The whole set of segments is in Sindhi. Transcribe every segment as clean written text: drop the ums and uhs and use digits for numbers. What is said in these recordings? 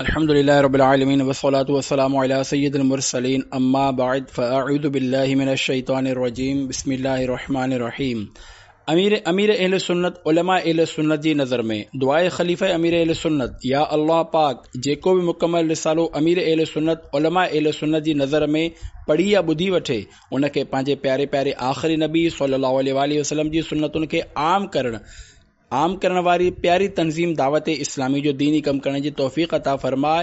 الحمد لله رب العالمين والصلاة والسلام على سيد المرسلين اما بعد فاعوذ بالله من الشيطان الرجيم بسم الله الرحمن الرحيم امير امير اهل سنت علماء اهل سنت جي نظر ۾ دعاء خليفه امير اهل سنت يا الله پاڪ جيڪو به مڪمل رسالو امير اهل سنت علماء اهل سنت جي نظر ۾ پڙهي يا ٻڌي وٺي ان کي پنهنجي پياري پياري آخري نبي صلي الله عليه واٰله وسلم جي سنتن کي عام ڪرڻ عام ڪرڻ واري پياري تنظيم دعوت اسلامي جو ديني ڪم ڪرڻ جي توفيق عطا فرماء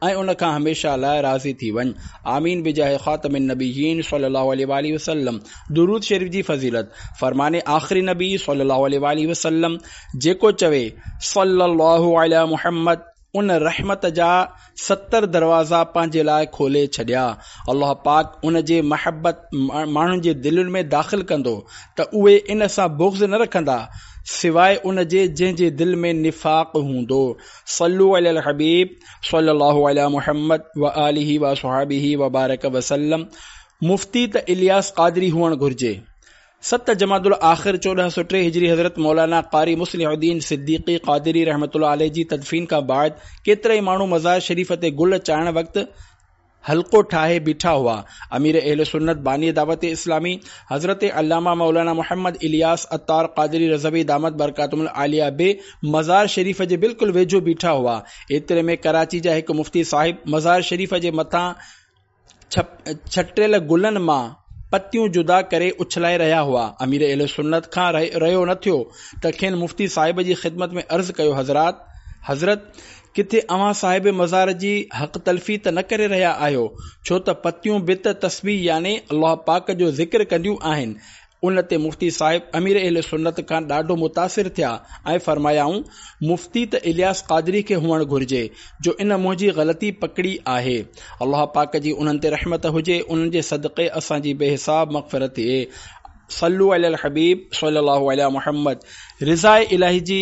۽ ان کان هميشه لاء راضي ٿي وڃ آمين بجاه خاتم النبيين صلي الله عليه واٰله وسلم درود شريف جي فضيلت فرمان آخري نبي صلي الله عليه واٰله وسلم جيڪو چوي صلي الله علي محمد ان رحمت جا 70 دروازا پنهنجي لاء کولي ڇڏيا. الله پاڪ ان جي محبت ماڻهن جي دلين ۾ داخل ڪندو ته اهي ان سان بغض نه رکندا سواء ان جي جنهن جي دل ۾ نفاق هوندو. صلو علي الحبيب صلي الله علي محمد وآله واصحابه وبارڪ وسلم مفتي ته الياس قادري هئڻ گهرجي. ست جمادي الاخر 1403 هجري حضرت مولانا قاري مصلح الدين صديقي قادري رحمة الله عليه جي تدفين کان بعد ڪيترائي ماڻهو مزار شريف تي گل چاڙهڻ وقت حلقو ٺاهي بيٺا هئا. امير اهل سنت باني دعوت اسلامي حضرت علامه مولانا محمد الياس عطار قادري رضوي دامت برڪاتهم العاليه به مزار شريف جي بلڪل ويجهو بيٺا هئا. ايتري ۾ ڪراچي جا هڪ مفتي صاحب مزار شريف جي مٿان ڇٽيل گلن مان پتيون جدا ڪري اڇلائي رهيا هئا. امير اهل سنت کان رهيو نه ٿيو ته کين مفتي صاحب جي خدمت ۾ عرض ڪيو حضرات! حضرت! ڪٿي اوهان صاحب مزار جي حق تلفي ته نه ڪري رهيا آهيو، ڇو ته پتيون به ته تسبيح يعني الله پاڪ جو ذڪر ڪنديون آهن ان تي مفتي صاحب امير اهل سنت کان ڏاڍو متاثر ٿيا ۽ فرمايائون، مفتي ته الياس قادري کي هئڻ گهرجي، جو ان منهنجي غلطي پڪڙي آهي. الله پاڪ جي انهن تي رحمت هجي، انهن جي صدقي اسان جي بي حساب مغفرت ٿئي. صلو علي الحبيب صلي الله علي محمد رضاء الاهي جي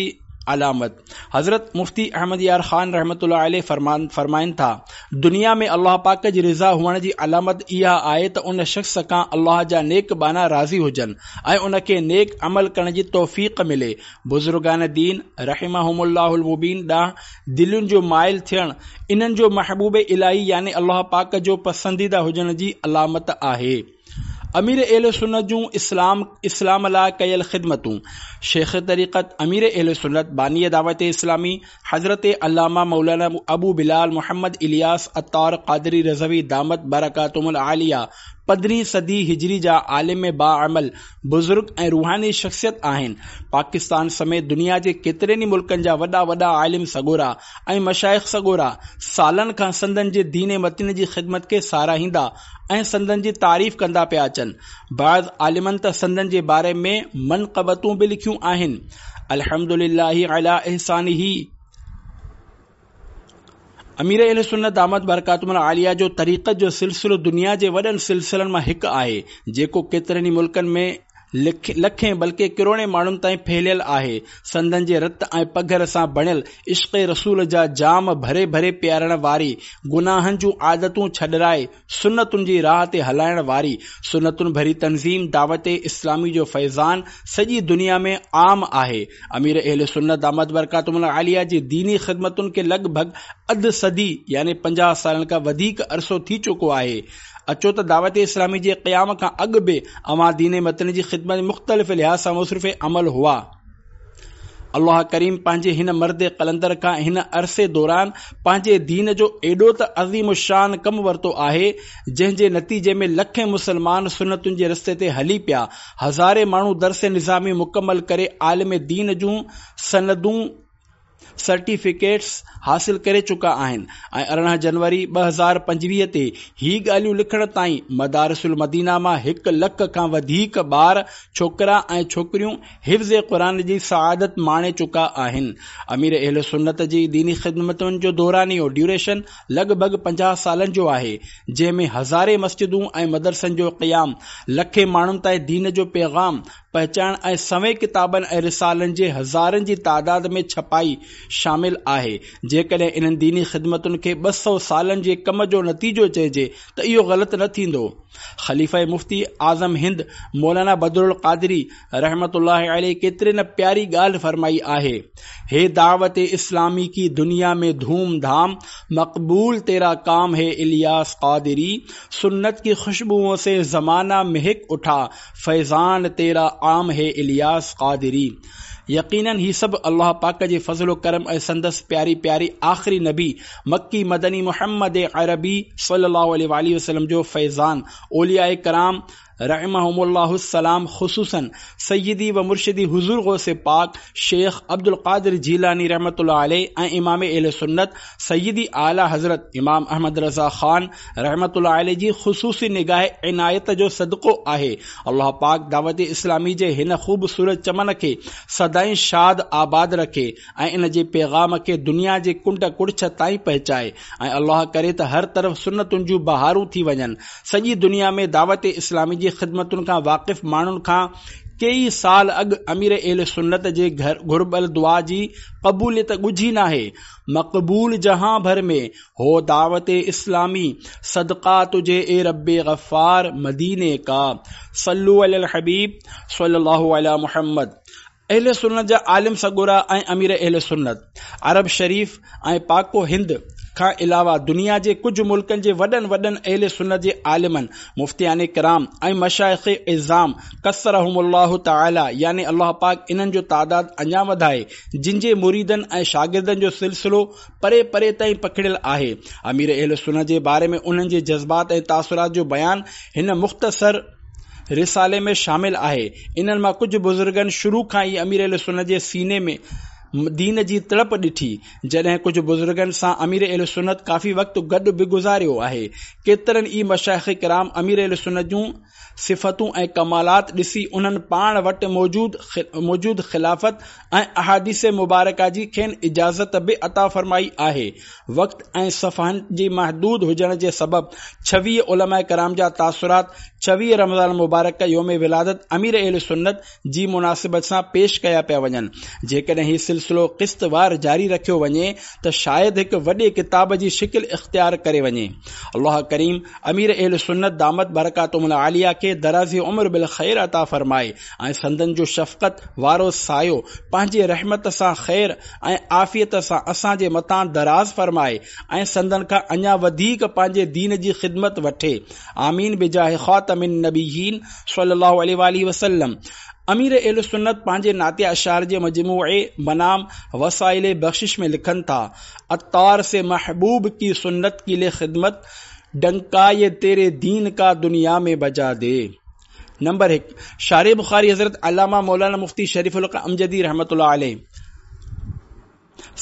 علامت حضرت مفتي احمد يار خان رحمة الله عليه فرمان فرمائن ٿا، دنيا ۾ الله پاڪ جي رضا هئڻ جي علامت اها آهي ته ان شخص کان الله جا نيڪ ٻانها راضي هجن ۽ ان کي نيڪ عمل ڪرڻ جي توفيق ملي. بزرگان دين رحمهم الله المبين ڏانهن دلين جو مائل ٿيڻ انهن جو محبوب الاهي يعني الله پاڪ جو پسنديده هجڻ جي علامت آهي. امير اهل سنت جون اسلام اسلام لاء ڪيل خدمتون شيخ طريقت امير اهل سنت باني دعوت اسلامي حضرت علامه مولانا ابو بلال محمد الياس عطار قادري رضوي دامت برڪاتهم العاليه پندرهين صدي هجري جا عالم باعمل بزرگ ۽ روحاني شخصيت آهن. پاڪستان سميت دنيا جي ڪيترن ئي ملڪن جا وڏا وڏا عالم سڳورا ۽ مشائخ سڳورا سالن کان سندن جي دين متين جي خدمت کي ساراهيندا ۽ سندن جي تعريف ڪندا پيا اچن. بعض عالمن ته سندن جي باري ۾ منقبتون به لکيون آهن. الحمد لله علي احسانه. امير اهل سنت دامت برڪاتهم العاليه جو طريقت جو سلسلو دنيا جي وڏن سلسلن مان هڪ آهي، جيڪو ڪيترن ئي ملڪن ۾ لکين بلڪه ڪروڙين ماڻهن تائين ڦهليل آهي. سندن جي رت ۽ پگهر سان بڻيل عشق رسول جا جام ڀري ڀري پيارڻ واري، گناهن جون عادتون ڇڏرائي سنتن جي راهه تي هلائڻ واري سنتن ڀري تنظيم دعوت اسلامي جو فيضان سڄي دنيا ۾ عام آهي. امير اهل سنت دامت برڪاتهم العاليه جي ديني خدمتن کي لڳ ڀڳ اڌ صدي يعني 50 سالن کان وڌيڪ عرصو ٿي چڪو آهي. اچو ته دعوت اسلامي جي قيام کان اڳ به اوهان دين متين جي خدمت ۾ مختلف لحاظ سان مصروف عمل هئا. الله ڪريم پنهنجي هن مرد قلندر کان هن عرصي دوران پنهنجي دين جو ايڏو ته عظيم الشان ڪم ورتو آهي جنهن جي نتيجي ۾ لکين مسلمان سنتن جي رستي تي هلي پيا هزارين ماڻهو درس نظامي مڪمل ڪري عالم دين جون سندون سرٽيفڪيٽس حاصل ڪري چڪا آهن ۽ 18 جنوري 2025 تي هي ڳالهيون لکڻ تائين مدارس المدينه مان هڪ لک کان وڌيڪ ٻار ڇوڪرا ۽ ڇوڪريون حفظ قرآن جي سعادت ماڻي چڪا آهن. امير اهل سنت جي ديني خدمتن جو دورانيو، Duration، لڳ ڀڳ 50 سالن جو آهي، جنهن ۾ هزارين مسجدون ۽ مدرسن جو قيام، لکين ماڻهن تائين دين جو پيغام، پهچائڻ ۽ سوين ڪتابن ۽ رسالن جي هزارن جي تعداد ۾ ڇپائي شامل آهي. جيڪڏهن انهن ديني خدمتن کي 200 سالن جي ڪم جو نتيجو چئجي ته اهو غلط نه ٿيندو. خليفه مفتي اعظم هند مولانا بدرالقادري رحمة الله عليه ڪيتري نه پياري ڳالهه فرمائي آهي، هي دعوت اسلامي ڪي دنيا ۾ ڌوم ڌام، مقبول تيرا ڪام هي الياس قادري، سنت ڪي خوشبوئون سي زمانه مهڪ اٺا، فيضان تيرا عام هي الياس قادري. يقيناً هي سڀ الله پاڪ جي فضل و ڪرم ۽ سندس پياري پياري آخري نبي مڪي مدني محمد عربي صلي الله عليه واٰله وسلم جو فيضان اولياء ڪرام رحمهم الله السلام خصوصاً سيدي و مرشدي حضور غوث پاڪ شيخ عبدالقادر جيلاني رحمة الله عليه ۽ امام اهل سنت سيدي اعليٰ حضرت امام احمد رضا خان رحمة الله عليه جي خصوصي نگاهه عنايت جو صدقو آهي. الله پاڪ دعوت اسلامي جي هن خوبصورت چمن کي سدائين شاد آباد رکي ۽ ان جي پيغام کي دنيا جي ڪنڊ ڪڙڇ تائين پهچائي ۽ الله ڪري ته هر طرف سنتن جون بهارون ٿي وڃن. سڄي دنيا ۾ دعوت اسلامي جي خدمتن کان واقف ماڻهن کان ڪيئي سال اڳ امير اهل سنت جي گهربل دعا جي قبوليت ڳجهي ناهي. مقبول جهان ڀر ۾ هو دعوت اسلامي صدقه تجهي اي رب غفار مديني ڪا صلو علي الحبيب صلي الله علي محمد اهل سنت جا عالم سڳورا ۽ امير اهل سنت عرب شريف ۽ پاڪ و هند کان علاوه دنيا جي ڪجهه ملڪن جي وڏن وڏن اهل سنت جي عالمن مفتيان ڪرام ۽ مشائخ عظام ڪثرهم الله تعالي يعني الله پاڪ انهن جو تعداد اڃا وڌائي جن جي مريدن ۽ شاگردن جو سلسلو پري پري تائين پکڙيل آهي. امير اهل سنت جي باري ۾ انهن جي جذبات ۽ تاثرات جو بيان هن مختصر رسالي ۾ شامل آهي. انهن مان ڪجهه بزرگن شروع کان ئي امير اهل سنت جي سيني ۾ دين جي تڙپ ڏٺي. جڏهن ڪجهه بزرگن سان امير اهل سنت ڪافي وقت گڏ به گذاريو آهي. ڪيترن ئي مشائخ ڪرام امير اهل سنت جون صفتون ۽ ڪمالات ڏسي انهن پاڻ وٽ موجود خلافت ۽ احاديث مبارڪه جي کين اجازت به عطا فرمائي آهي. وقت ۽ صفحن جي محدود هجڻ جي سبب 26 علماء ڪرام جا تاثرات 26 رمضان المبارڪ يوم ولادت امير اهل سنت جي مناسبت سان پيش ڪيا پيا وڃن. جيڪڏهن هي سلسلو قسط وار جاري رکيو وڃي ته شايد هڪ وڏي ڪتاب جي شڪل اختيار ڪري وڃي. الله ڪريم امير اهل سنت دامت برڪاتهم العاليه کي درازي عمر بالخير عطا فرمائي ۽ سندن جو شفقت وارو سايو پنهنجي رحمت سان خير ۽ عافيت سان اسان جي مٿان دراز فرمائي ۽ سندن کان اڃا وڌيڪ پنهنجي دين جي خدمت وٺي آمين بجاه خاتم النبيين صلي الله عليه واٰله وسلم امير اهل سنت پنهنجي نعتيه اشعار جي مجموعي بنام وسائل بخشش ۾ لکن ٿا عطار سي محبوب ڪي سنت ڪي لي خدمت ڊنڪا يي تيري دين ڪا دنيا ۾ بجا the number 1 شارح بخاري حضرت علامه مولانا مفتي شريف الحق امجدي رحمة الله عليه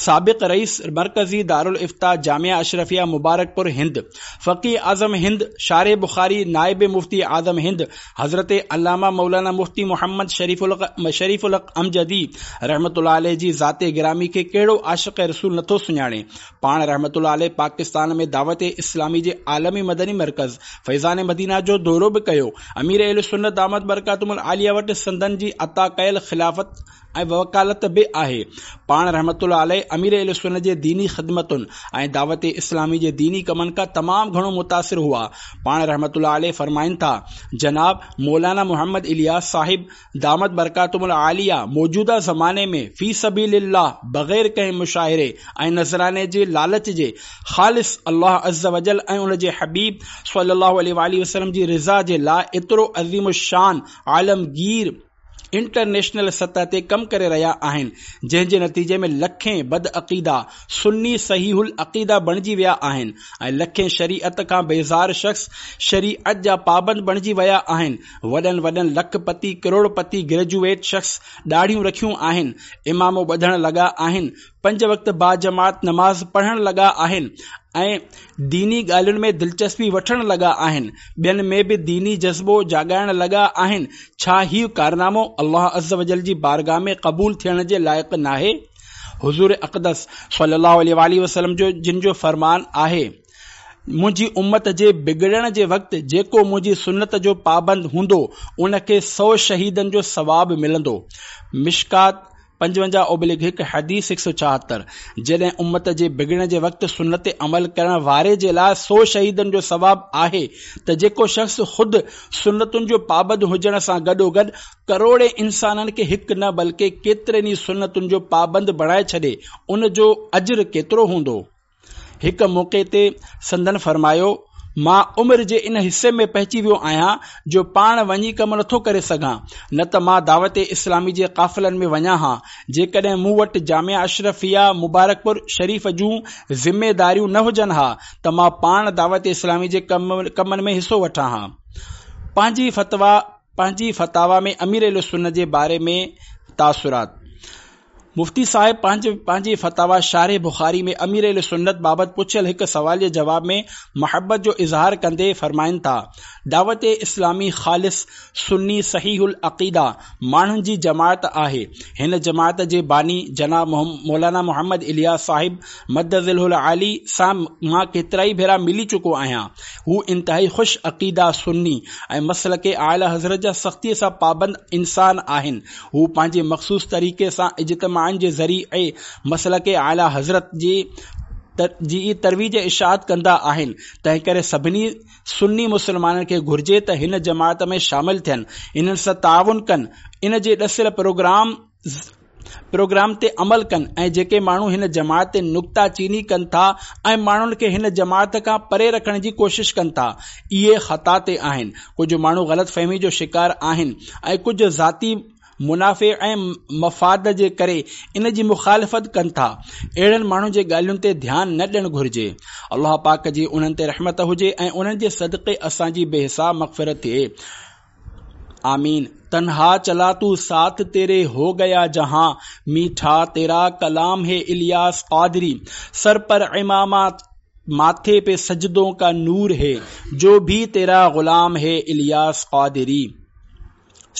سابق رئيس مرڪزي دارالافتا جامعه اشرفيه مبارڪپور هند، فقيه اعظم هند، شارح بخاري، نائب مفتي اعظم هند حضرت علامه مولانا مفتي محمد شريف شريف الحق امجدي رحمة الله عليه جي ذات گرامي کي ڪهڙو عاشق رسول نٿو سڃاڻي. پاڻ رحمة الله عليه پاڪستان ۾ دعوت اسلامي جي عالمي مدني مرڪز فيضان مدينه جو دورو به ڪيو. امير اهل سنت دامت برڪاتهم العاليه وٽ سندن جي عطا ڪيل خلافت ۽ وڪالت به آهي. پاڻ رحمة الله عليه امير اهل سنت جي ديني خدمتن ۽ دعوت اسلامي جي ديني ڪمن کان تمام گهڻو متاثر هئا. پاڻ رحمة الله عليه فرمائن ٿا، جناب مولانا محمد الياس صاحب دامت برڪاتهم العاليه موجوده زماني ۾ في سبيل الله بغير ڪنهن مشاهري ۽ نذراني جي لالچ جي خالص الله عزّوجلّ ۽ ان جي حبيب صلّي الله عليه واٰله وسلّم جي رضا جي لاء ايترو عظيم الشان عالمگير انٽرنيشنل سطح تي ڪم ڪري رهيا آهن جنهن جي نتيجي ۾ لکين بدعقيدا سني صحيح العقيده بڻجي ويا آهن ۽ لکين شريعت کان بيزار شخص شريعت جا پابند بڻجي ويا آهن وڏن وڏن لک پتي ڪروڙ پتي گريجوئيٽ شخص ڏاڙهيون رکيون آهن عمامو ٻڌڻ لڳا آهن پنج وقت باجماعت نماز پڙهڻ لڳا آهن ۽ ديني ڳالهين ۾ دلچسپي وٺڻ لڳا آهن، ٻين ۾ به ديني جذبو جاڳائڻ لڳا آهن، ڇا هيء ڪارنامو الله عزّوجلّ جي بارگاھ ۾ قبول ٿيڻ جي لائق ناهي؟ حضور اقدس صلّي اللّٰه عليه واٰله وسلّم جن جو فرمان آهي. منهنجي امت جي بگڙڻ جي وقت جيڪو منهنجي سنت جو پابند هوندو ان کي سو شهيدن جو ثواب ملندو. مشڪات 55 اوبليگ هڪ حديث 176، جڏهن امت جي بگڙڻ جي وقت سنت تي عمل ڪرڻ واري جي لاء سو شهيدن جو ثواب آهي ته جيڪو شخص خود سنتن جو پابند هجڻ سان گڏوگڏ ڪروڙين انسانن کي هڪ نه بلڪه ڪيترين ئي سنتن جو پابند بڻائي ڇڏي ان جو اجر ڪيترو هوندو؟ هڪ موقعي تي سندن فرمايو، مان عمر جي ان حصي ۾ پهچي ويو آهيان جو پاڻ وڃي ڪم نٿو ڪري سگهان، نه ته مان دعوت اسلامي جي قافلن ۾ وڃان ها، جيڪڏهن مون وٽ جامعه اشرفيه مبارڪپور شريف جون ذميداريون نه هجن ها ته مان پاڻ دعوت اسلامي جي ڪمن ۾ حصو وٺان ها. پنهنجي فتويٰ پنهنجي فتاويٰ ۾ امير اهلسنت جي باري ۾ تاثرات. مفتي صاحب پنهنجي پنهنجي فتاويٰ شارح بخاري ۾ امير اهل سنت بابت پڇيل هڪ سوال جي جواب ۾ محبت جو اظهار ڪندي فرمائن ٿا، دعوت اسلامي خالص سني صحيح العقيده ماڻهن جي جماعت آهي. هن جماعت جي باني جناب مولانا محمد الياس صاحب مد ظله العالي سان مان ڪيترائي ڀيرا ملي چڪو آهيان. هو انتهائي خوش عقيده سني ۽ مسلڪ اعليٰ حضرت جا سختيء سان پابند انسان آهن. هو پنهنجي مخصوص طريقي سان اجتماعن جي ذريعي مسلڪ اعليٰ حضرت جي جي ئي ترويج ۽ اشاعت ڪندا آهن، تنهنڪري سڀني سني مسلمانن کي گهرجي ته هن جماعت ۾ شامل ٿين، انهن سان تعاون ڪن، ان جي ڏسيل پروگرام پروگرام تي عمل ڪن ۽ جيڪي ماڻهو هن جماعت تي نڪته چيني ڪن ٿا ۽ ماڻهن کي هن جماعت کان پري رکڻ جي ڪوشش ڪن ٿا، اهي خطا تي آهن. ڪجهه ماڻهو غلط فهمي جو شڪار آهن ۽ ڪجهه ذاتي منافعي ۽ مفاد جي ڪري ان جي مخالفت ڪن ٿا. اهڙن ماڻهن جي ڳالهين تي ڌيان نه ڏيڻ گهرجي. الله پاڪ جي انهن تي رحمت هجي ۽ انهن جي صدقي اسان جي بي حساب مغفرت ٿئي. آمين. تنها چلا تو ساٿ تيري هو گيا جهان ميٺا تيرا ڪلام هي الياس قادري سر پر عمامه ماٿي پي سجدون ڪا نور هي جو ڀي تيرا غلام هي الياس قادري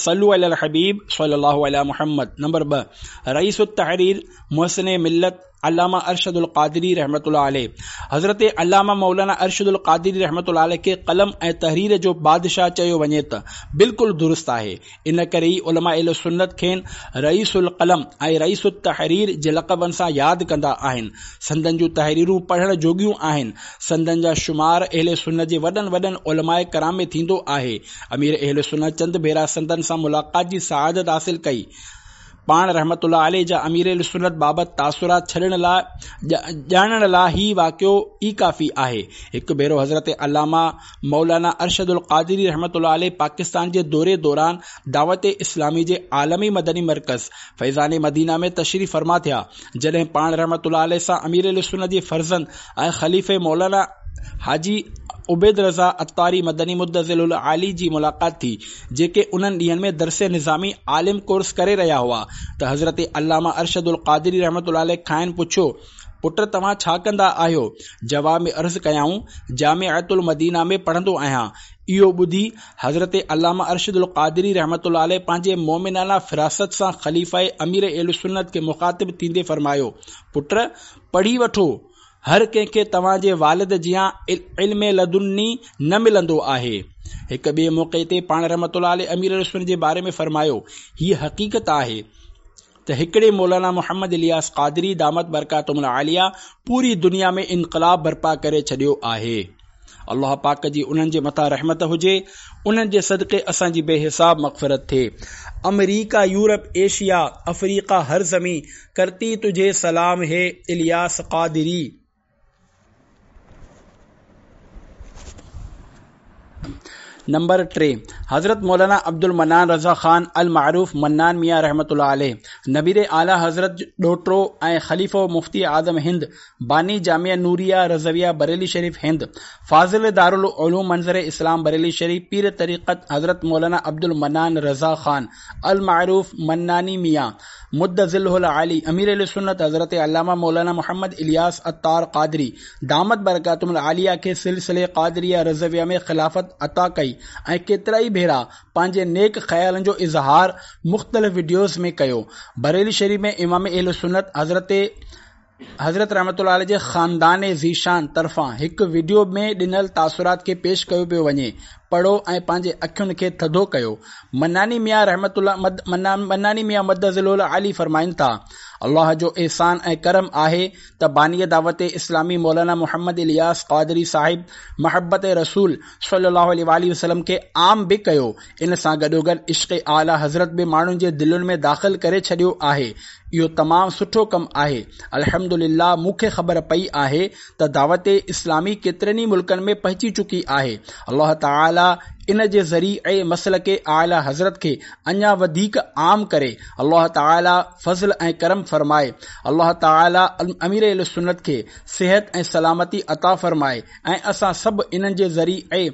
صلو علی الحبيب صلي الله علي محمد نمبر 2 رئيس التحرير محسن ملت علامه ارشد القادري رحمة الله عليه حضرت علامه مولانا ارشد القادري رحمة الله عليه کي قلم ۽ تحرير جو بادشاهه چيو وڃي ته بلڪل درست آهي. ان ڪري ئي علماء اهل سنت کين رئيس القلم ۽ رئيس التحرير جي لقبن سان ياد ڪندا آهن. سندن جون تحريرون پڙهڻ جوڳيون آهن. سندن جا شمار اهل سنت جي وڏن وڏن علماء ڪرام ۾ ٿيندو آهي. امير اهل سنت چند ڀيرا سندن سان ملاقات جي سعادت حاصل ڪئي. پاڻ رحمة الله عليه جا امير اهلسنت بابت تاثرات ڇڏڻ لاء ڄاڻڻ لاء هي واقعو ئي ڪافي آهي. هڪ ڀيرو حضرت علامه مولانا ارشد القادري رحمة الله عليه پاڪستان جي دوري دوران دعوت اسلامي جي عالمي مدني مرڪز فيضان مدينه ۾ تشريف فرما ٿيا جڏهن پاڻ رحمة الله عليه سان امير اهلسنت جي فرزند ۽ خليفي مولانا حاجي عبيد رضا عطاري مدني مدظله العالي جي ملاقات ٿي جيڪي انهن ڏينهن ۾ درس نظامي عالم ڪورس ڪري رهيا هئا ته حضرت علامه ارشد القادري رحمة الله عليه کانئن پڇيو، پٽ توهان ڇا ڪندا آهيو؟ جواب ۾ عرض ڪيائون، جامعة المدينه ۾ پڙهندو آهيان. اهو ٻڌي حضرت علامه ارشد القادري رحمة الله عليه پنهنجي مؤمنانه فراست سان خليفه امير اهلسنت کي مخاطب ٿيندي فرمايو، پٽ پڙهي وٺو، هر ڪنهن کي توهان جي والد جيان علم لدني نه ملندو آهي. هڪ ٻئي موقعي تي پاڻ رحمة الله عليه امير اهلسنت جي باري ۾ فرمايو، هيء حقيقت آهي ته هڪڙي مولانا محمد الياس قادري دامت برڪاتهم العاليه پوري دنيا ۾ انقلاب برپا ڪري ڇڏيو آهي. الله پاڪ جي انهن جي مٿان رحمت هجي، انهن جي صدقي اسان جي بي حساب مغفرت ٿئي. آمريڪا، يورپ، ايشيا، افريقا هر زمين ڪرتي تجهي سلام هي الياس قادري. نمبر 3 حضرت مولانا عبدالمنان رضا خان المعروف منان ميان رحمة الله عليه نبير اعليٰ حضرت ڏوهٽو ۽ خليفو مفتي اعظم هند باني جامعه نوريه رضويه بريلي شريف هند، فاضل دارالعلوم منظر اسلام بريلي شريف، پير طريقت حضرت مولانا عبدالمنان رضا خان المعروف مناني ميان، مد ظله العالي، امير اهلسنت حضرت علامه مولانا محمد الياس عطار قادري دامت برڪاتهم العاليه کي سلسلي قادريه رضويه ۾ خلافت عطا ڪئي ۽ ڪيترائي ڀيرا پنهنجي نيڪ خيالن جو اظهار مختلف وڊيوز ۾ ڪيو. بريلي شريف ۾ امام اهلسنت حضرت. حضرت رحمة الله عليه جي خاندان ذيشان طرفان هڪ وڊيو ۾ ڏنل تاثرات کي پيش ڪيو پيو وڃي. پڙهو ۽ پنهنجي اکين کي ٿڌو ڪيو. مناني ميان رحمة الله مناني ميان مد ظله العالي فرمائن ٿا، الله جو احسان ۽ ڪرم آهي ته باني دعوت اسلامي مولانا محمد الياس قادري صاحب محبت رسول صلي الله عليه واٰله وسلم کي عام به ڪيو ان سان گڏوگڏ عشق اعليٰ حضرت به ماڻهن جي دلين ۾ داخل ڪري ڇڏيو آهي. اهو تمام سٺو ڪم آهي. الحمدلله مون کي خبر پئي آهي ته دعوت اسلامي ڪيترن ئي ملڪن ۾ پهچي چڪي آهي. الله تعالي ان جي ذريعي مسلڪ اعليٰ حضرت کي اڃا وڌيڪ عام ڪري. الله تعالي فضل ۽ ڪرم فرمائي. الله تعالي امير اهلسنت کي صحت ۽ سلامتي عطا فرمائي ۽ اسان سڀ انهن جي ذريعي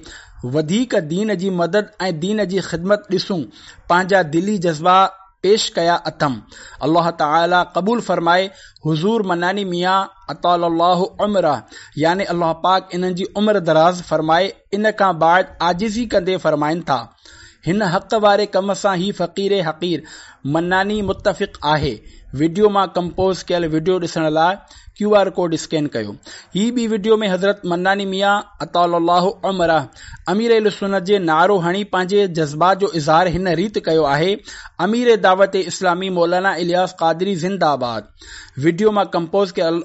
وڌيڪ دين جي مدد ۽ دين جي خدمت ڏسون. پنهنجا دلي جذبا پيش ڪيا اٿم. الله تعالي قبول فرمائي. حضور مناني ميان اطال الله عمره يعني الله پاڪ انهن جي عمر دراز فرمائي ان کان بعد عاجزي ڪندي فرمائن ٿا هن حق واري ڪم سان هي فقير حقير مناني متفق آهي وڊيو مان ڪمپوز ڪيل وڊيو ڏسڻ لاء ڪيو آر ڪوڊ اسڪين ڪيو. هي ٻي وڊيو ۾ حضرت مناني ميان اطال الله عمره امير اهلسنت جي نعرو هڻي پنهنجي جذبات جو اظهار هن ريت ڪيو آهي امير دعوت اسلامي مولانا الياس قادري زنده آباد وڊيو مان ڪمپوز ڪيل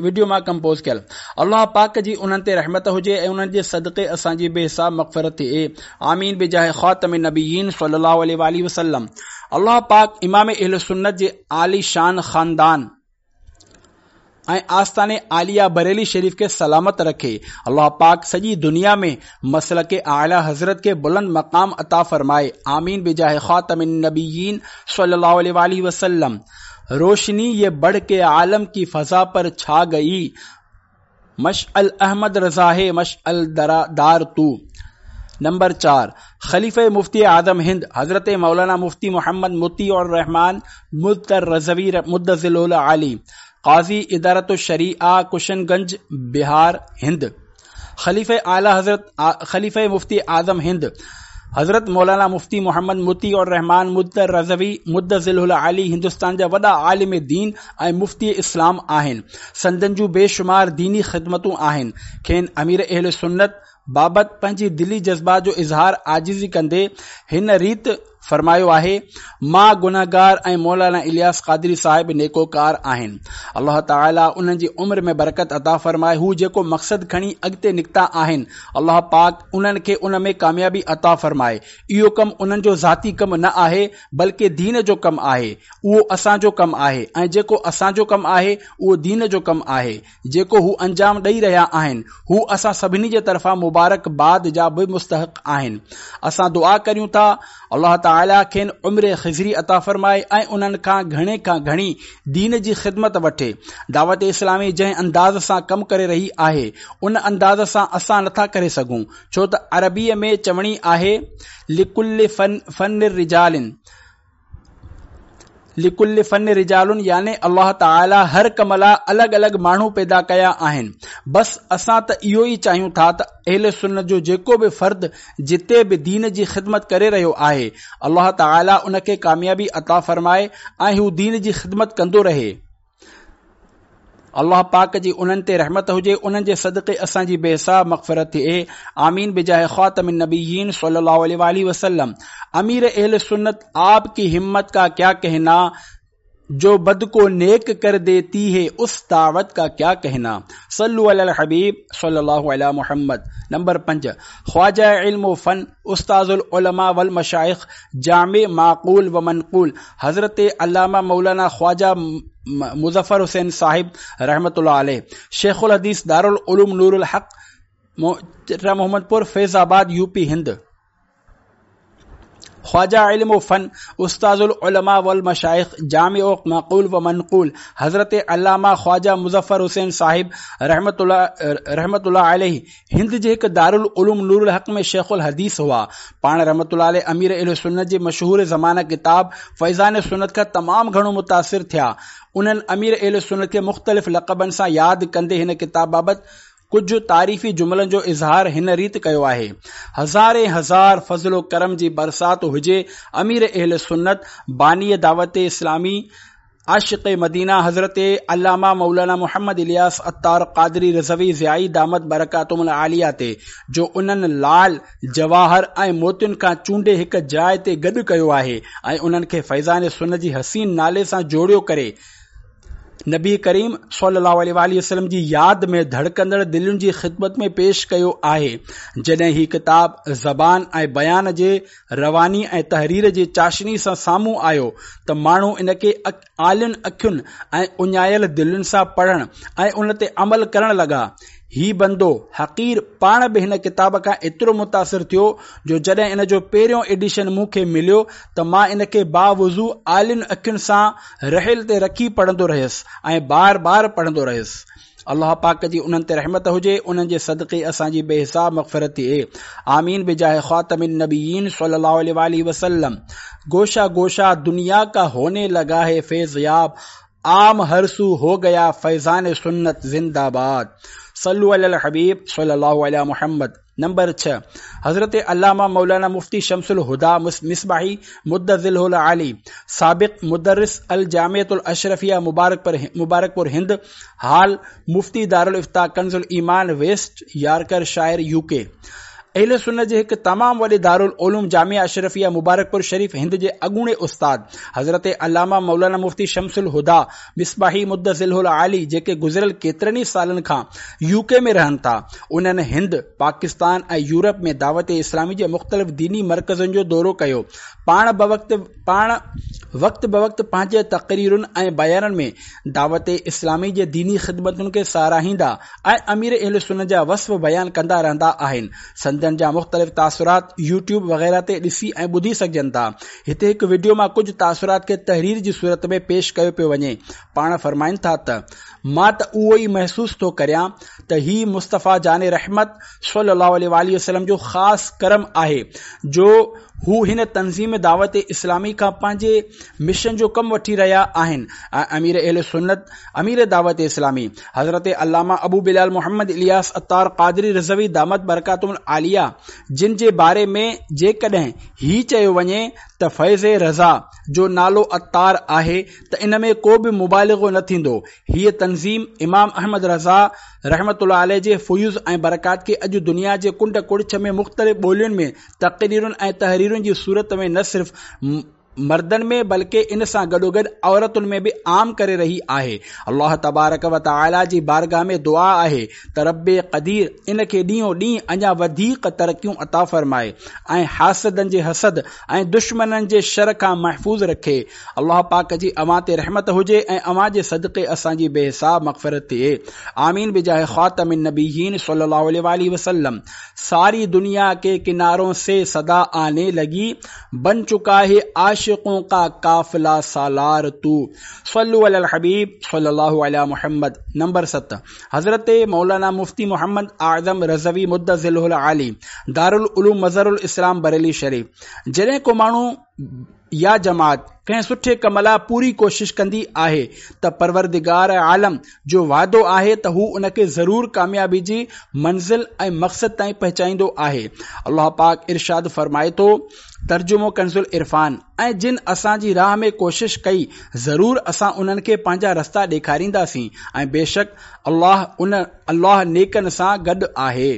وڊيو مان ڪمپوز ڪيل الله پاڪ جي انهن تي رحمت هجي ۽ انهن جي صدقي اسان جي بي حساب مغفرت ٿئي آمين بجاه خاتم النبيين صلي الله عليه واله وسلم الله پاڪ امام اهلسنت جي عالي شان خاندان ۽ آستان عاليه بريلي شريف کي سلامت رکي. الله پاڪ سڄي دنيا ۾ مسلڪ اعليٰ حضرت کي بلند مقام عطا فرمائي. آمين بجاه خاتم النبيين صلي الله عليه واٰله وسلم. روشني يه بڙھ ڪي عالم ڪي فضا پر ڇا گئي مشعل احمد رضا هي مشعل دار تو. نمبر چار، خليفه مفتي اعظم هند حضرت مولانا مفتي محمد مطيع الرحمان مضطر رضوي مدظله العالي قاضي ادارة الشريعه ڪشن گنج بهار هند خليفه اعليٰ حضرت خليفه مفتي اعظم هند حضرت مولانا مفتي محمد مطيع الرحمان مضطر رضوي مدظله العالي هندستان جا وڏا عالم دين ۽ مفتي اسلام آهن. سندن جون بي شمار ديني خدمتون آهن. کين امير اهل سنت بابت پنهنجي دلي جذبات جو اظهار عاجزي ڪندي هن ريت فرمايو آهي، مان گنهگار ۽ مولانا الياس قادري صاحب نيڪوڪار آهن. الله تعالي انهن جي عمر ۾ برڪت عطا فرمائي. هو جيڪو مقصد کڻي اڳتي نڪتا آهن، الله پاڪ انهن کي ان ۾ ڪاميابي عطا فرمائي. اهو ڪم انهن جو ذاتي ڪم نه آهي، بلڪه دين جو ڪم آهي. اهو اسان جو ڪم آهي ۽ جيڪو اسان جو ڪم آهي، اهو دين جو ڪم آهي. جيڪو هو انجام ڏئي رهيا آهن، هو اسان سڀني جي طرفان مبارڪ باد جا به مستحق آهن. اسان دعا ڪريون ٿا، الله تعاليٰ کين عمر خضري عطا فرمائي ۽ انهن کان گهڻي کان گهڻي دين جي خدمت وٺي. دعوت اسلامي جنهن انداز سان ڪم ڪري رهي آهي، ان انداز سان اسان نٿا ڪري سگهون، ڇو ته عربيء ۾ چوڻي آهي، لڪل فن رجال. لڪل فن رجال يعني الله تعالي هر ڪم لاء الڳ الڳ ماڻهو پيدا ڪيا آهن. بس اسان ته اهو ئي چاهيون ٿا ته اهل سنت جو جيڪو به فرد جتي به دين جي خدمت ڪري رهيو آهي الله تعالي ان کي ڪاميابي عطا فرمائي ۽ هو دين جي خدمت ڪندو رهي. الله پاڪ جي انهن تي رحمت هجي انهن جي صدقي اسان جي بي حساب مغفرت ٿئي آمين بجاه خاتم النبيين صلي الله عليه واله وسلم امير اهل سنت آپ ڪي همت ڪا ڪيا ڪهنا جو بد ڪو نيڪ ڪر ديتي هي اس دعوت ڪا ڪيا ڪهنا صلو علی الحبيب صلي الله علی محمد نمبر 5 خواجه علم و فن استاذ العلماء والمشائخ جامع معقول و منقول حضرت علامه مولانا خواجه مظفر حسين صاحب رحمة الله عليه شيخ الحديث دارالعلوم نور الحق محمد پور فيض آباد يو پي هند خواجه علم و فن استاذ العلماء والمشائخ جامع معقول و منقول حضرت علامه خواجه مظفر حسين صاحب رحمة الله رحمة الله عليه هند جي هڪ دارالعلوم نور الحق ۾ شيخ الحديث هئا. پاڻ رحمة الله عليه امير اهل سنت جي مشهور زمانه ڪتاب فيضان سنت کان تمام گهڻو متاثر ٿيا. انهن امير اهل سنت کي مختلف لقبن سان ياد ڪندي هن ڪتاب بابت ڪجهه تعريفي جملن جو اظهار هن ريت ڪيو آهي، هزارين هزار فضل و ڪرم جي برسات هجي امير اهل سنت، باني دعوت اسلامي، عاشق مدينه حضرت علامه مولانا محمد الياس عطار قادري رضوي ضيائي دامت برڪاتهم العاليه تي جو انهن لعل، جواهر ۽ موتين کان چونڊي هڪ جاء تي گڏ ڪيو آهي ۽ انهن کي فيضان سنت جي حسين نالي سان جوڙيو ڪري نبي ڪريم صلي الله عليه واٰله وسلم جي ياد ۾ ڌڙڪندڙ دلين جي خدمت ۾ پيش ڪيو آهي. جڏهن هي ڪتاب زبان ۽ بيان جي رواني ۽ تحرير جي چاشني سان سامهون آيو ته ماڻهو ان کي آلين اکين ۽ اڃايل دلين سان پڙهڻ ۽ ان تي عمل ڪرڻ لڳا. هي بندو حقير پاڻ به هن ڪتاب کان ايترو متاثر ٿيو جو جڏهن ان جو پهريون ايڊيشن مون کي مليو ته مان ان کي باوضو آلين اکين سان رحل تي رکي پڙهندو رهيس ۽ بار بار پڙهندو رهيس. الله پاڪ جي انهن تي رحمت هجي انهن جي صدقي اسان جي بي حساب مغفرت ٿئي آمين بجاه خاتم النبيين صلي الله عليه واله وسلم گوشه گوشه دنيا کا هوني لگا هي فيض ياب عام هر سو هو گيا فيضان سنت زنده باد صلو علي الحبيب صلي الله علي محمد نمبر 6 حضرت علامه مولانا مفتي شمس الهدى مصباحي مدظله العالي سابق مدرس الجامعة الاشرفيه مبارڪپور هند حال مفتي دارالافتاء ڪنز الايمان ويسٽ يارڪر شائر يو ڪي اهل سنت جي هڪ تمام وڏي دارالعلوم جامعه اشرفيه مبارڪپور شريف هند جي اڳوڻي استاد حضرت علامه مولانا مفتي شمس الهديٰ مصباحي مدظله العالي جيڪي گذريل ڪيترن ئي سالن کان يو ڪي ۾ رهن ٿا انهن هند، پاڪستان ۽ يورپ ۾ دعوت اسلامي جي مختلف ديني مرڪزن جو دورو ڪيو پاڻ بوقت پاڻ وقت بوقت پنهنجي تقريرن ۽ بيانن ۾ دعوت اسلامي جي ديني خدمتن کي ساراهيندا ۽ امير اهل سنت جا وصف بيان ڪندا رهندا آهن. سندن جا مختلف تاثرات يوٽيوب وغيره تي ڏسي ۽ ٻڌي سگهجن ٿا. هتي هڪ وڊيو مان ڪجهه تاثرات کي تحرير جي صورت ۾ پيش ڪيو پيو وڃي. پاڻ فرمائن ٿا ته، مان ته اهو ئي محسوس ٿو ڪريان ته هي مصطفيٰ جان رحمت صلي الله عليه واٰله وسلم جو خاص ڪرم آهي جو هو هن تنظيم دعوت اسلامي کان پنهنجي مشن جو ڪم وٺي رهيا آهن ۽ امير اهل سنت امير دعوت اسلامي حضرت علامه ابو بلال محمد الياس عطار قادري رضوي دامت برڪاتهم العاليه جن جي باري ۾ جيڪڏهن هي چيو وڃي ته فيض رضا جو نالو عطار آهي ته ان ۾ ڪو به مبالغو نه ٿيندو. هيء تنظيم امام احمد رضا رحمة الله عليه جي فيوض ۽ برڪات کي اڄ دنيا جي ڪنڊ ڪڙڇ ۾ مختلف ٻولين ۾ تقريرن ۽ تحريرن جي صورت ۾ نه صرف مردن ۾ بلڪه ان سان گڏوگڏ عورتن ۾ به عام ڪري رهي آهي. الله تبارڪ و تعالي جي بارگاهه ۾ دعا آهي ته رب قدير ان کي ڏينهون ڏينهن اڃا وڌيڪ ترقيون عطا فرمائي ۽ حاسدن جي حسد ۽ دشمنن جي شر کان محفوظ رکي. الله پاڪ جي اوهان تي رحمت هجي ۽ اوهان جي صدقي اسان جي بي حساب مغفرت ٿئي. آمين بجاه خاتم النبيين صلي الله عليه واٰله وسلم. ساري دنيا ڪي ڪنارون سي صدا آني لگي بن چڪا هي عاشقون ڪا قافله سالار تو. صلو علي الحبيب صلي الله علي محمد. نمبر 7 حضرت مولانا مفتي محمد اعظم رضوي مدظله العالي دارالعلوم مظهر الاسلام بريلي شريف جڏهن ڪو ماڻهو يا جماعت ڪنهن سٺي ڪم لاء پوري ڪوشش ڪندي آهي ته پروردگار عالم جو وعدو آهي ته هو ان کي ضرور ڪاميابي جي منزل ۽ مقصد تائين پهچائيندو آهي. الله پاڪ ارشاد فرمائي ٿو، ترجمو ڪنزالعرفان، ۽ جن اسان جي راهه ۾ ڪوشش ڪئي ضرور اسان انهن کي پنهنجا رستا ڏيکارينداسين ۽ بيشڪ الله ان الله نيڪن سان گڏ آهي.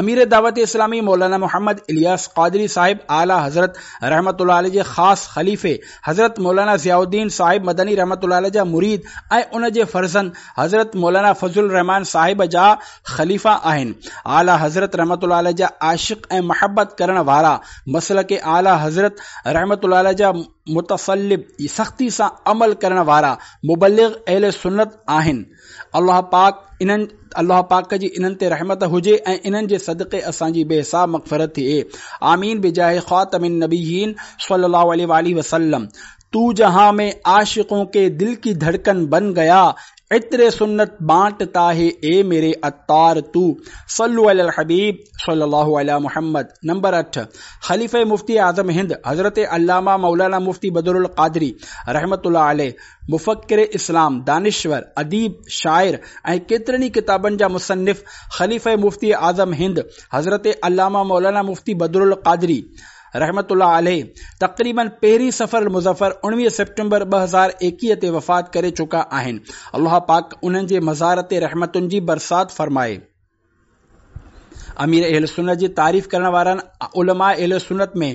امير دعوت اسلامي مولانا محمد الياس قادري صاحب اعليٰ حضرت رحمة الله عليه جي خاص خليفي حضرت مولانا ضياء الدين صاحب مدني رحمة الله عليه جا مريد ۽ ان جي فرزند حضرت مولانا فضل الرحمان صاحب جا خليفا آهن. اعليٰ حضرت رحمة الله عليه جا عاشق ۽ محبت ڪرڻ وارا مسلڪ اعليٰ حضرت رحمة الله عليه جا متصلب سختي سان عمل ڪرڻ وارا مبلغ اهل سنت آهن. الله پاڪ انهن الله پاڪ جي انهن تي رحمت هجي ۽ انهن جي صدقي اسان جي بي حساب مغفرت ٿئي آمين بجاه خاتم النبيين صلي الله عليه واله وسلم تو جهان ۾ عاشقون ڪي دل ڪي ڌڙڪن بن گيا عطر سنت بانٽتا هي اي ميري عطار تو صلو علي الحبيب صلي الله علي محمد نمبر 8 خليفه مفتي اعظم هند حضرت علامه مولانا مفتي بدر القادري رحمت الله عليه مفڪر اسلام، دانشور، اديب، شاعر ۽ ڪيترن ئي ڪتابن جا مصنف خليفه مفتي اعظم هند حضرت علامه مولانا مفتي بدرالقادري رحمة الله عليه تقريباً پهرين صفر المظفر 19 سيپٽمبر 2021 تي وفات ڪري چڪا آهن. الله پاڪ انهن جي مزار تي رحمتن جي برسات فرمائي. امير اهل سنت جي تعريف ڪرڻ وارن علماء اهل سنت ۾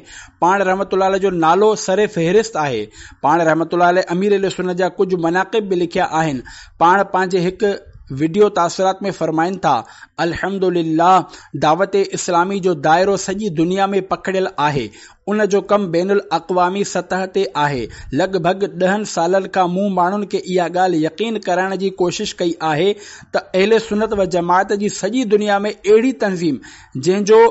پاڻ رحمة الله عليه جو نالو سر فهرست آهي. پاڻ رحمة الله عليه امير اهل سنت جا ڪجهه مناقب به لکيا آهن. پاڻ پنهنجي هڪ وڊيو تاثرات ۾ فرمائن ٿا، الحمد لله دعوت اسلامي جو دائرو سڄي دنيا ۾ پکڙيل آهي، ان جو ڪم بين الاقوامي سطح تي آهي، لڳ ڀڳ ڏهن سالن کان مون ماڻهن کي اها ڳالهه يقين ڪرائڻ جي ڪوشش ڪئي آهي ته اهل سنت و جماعت جي سڄي دنيا ۾ اهڙي تنظيم جنهن جو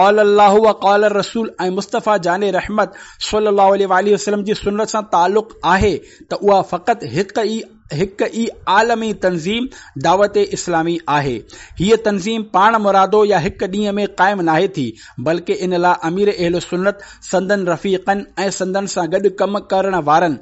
قال الله و قال الرسول ۽ مصطفيٰ جان رحمت صلي الله عليه واٰله وسلم جي سنت سان تعلق آهي ته اها فقط هڪ ئي هڪ ئي عالمي تنظيم دعوت اسلامي آهي. هيء تنظيم پاڻ مرادو يا هڪ ڏينهن ۾ قائم ناهي ٿي، بلڪه ان لاء امير اهل سنت، سندن رفيقن ۽ سندن سان گڏ ڪم ڪرڻ وارن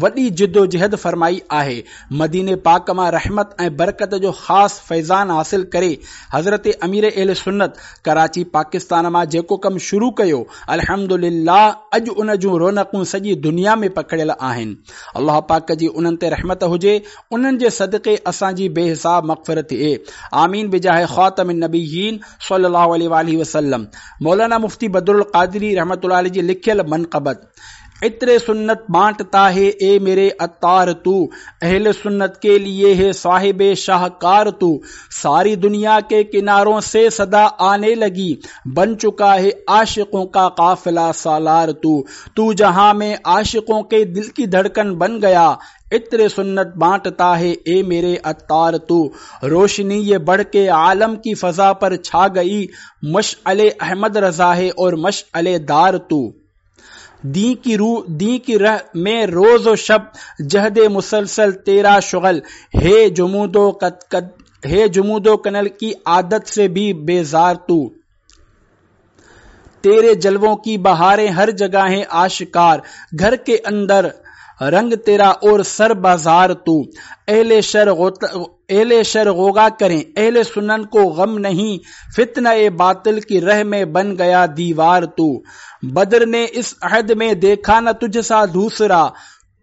وڏي جدوجهد فرمائي آهي. مديني پاڪ مان رحمت ۽ برڪت جو خاص فيضان حاصل ڪري حضرت امير اهل سنت ڪراچي پاڪستان مان جيڪو ڪم شروع ڪيو، الحمدلله اڄ ان جون رونقون سڄي دنيا ۾ پکڙيل آهن. الله پاڪ جي انهن تي رحمت هجي انهن جي صدقي اسان جي بي حساب مغفرت ٿئي آمين بجاه خاتم النبيين صلي الله عليه واله وسلم مولانا مفتي بدر القادري رحمت الله عليه جي لکيل منقبت عطر سنت بانٽتا هي اي ميري عطار تو اهل سنت ڪي ليي هي صاحب شاهڪار تو ساري دنيا ڪي ڪنارون سي صدا آني لگي بن چڪا هي عاشقون ڪا قافله سالار تو تو جهان ۾ عاشقون ڪي دل ڪي ڌڙڪن بن گيا عطر سنت بانٽتا هي اي ميري عطار تو روشني يه بڙھ ڪي عالم ڪي فضا پر ڇا گئي مشعل احمد رضا هي اور مشعل دار تو دين ڪي روح دين ڪي رح ۾ روز و شب جهد مسلسل تيرا شغل هي جمود و قد قد هي جمود و ڪنل ڪي عادت سي ڀي بيزار تو تيري جلوون ڪي بهارين هر جگه هين آشڪار گهر ڪي اندر رنگ تيرا اور سر بازار تو اهل شر اهل شر غوغا ڪرين اهل سنن ڪو غم نهين فتنه باطل ڪي ره ۾ بن گيا ديوار تو بدر ني اس عهد ۾ ديکا نه تجھ سا دوسرا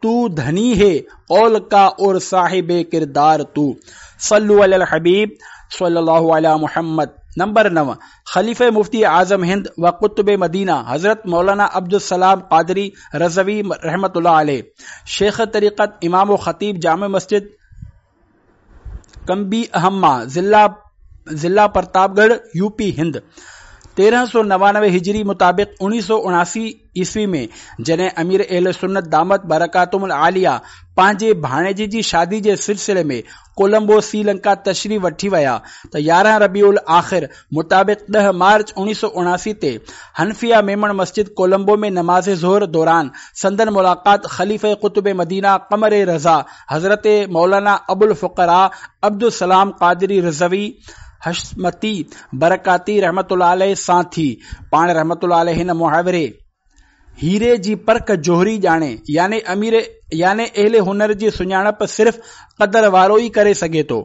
تو ڌني هي قول ڪا اور صاحب ڪردار تو صلو علی الحبيب صلي الله علي محمد نمبر 9 خليفه مفتي اعظم هند و قطب مدينه حضرت مولانا عبدالسلام قادري رضوي رحمة الله عليه شيخ طريقت امام و خطيب جامع مسجد ڪنبي اهما ضلع ضلع پرتاب ڳڙهه يو پي هند 1399 هجري مطابق 1979 عيسوي ۾ جڏهن امير اهل سنت دامت برڪاتهم العاليه پنهنجي ڀاڻيجي جي شادي جي سلسلي ۾ ڪولمبو سري لنڪا تشريف وٺي ويا ته 11 ربيع الاخر مطابق 10 مارچ 1979 تي حنفيه ميمڻ مسجد ڪولمبو ۾ نماز ظهر دوران سندن ملاقات خليفه قطب مدينه قمر رضا حضرت مولانا ابوالفقراء عبدالسلام قادري رضوي حشمتي برڪاتي رحمة الله عليه سان ٿي. پاڻ رحمة الله عليه هن محاوري، هيري جي پرک جوهري ڄاڻي، يعني امير يعني اهل هنر جي سڃاڻپ صرف قدر وارو ئي ڪري سگهي ٿو.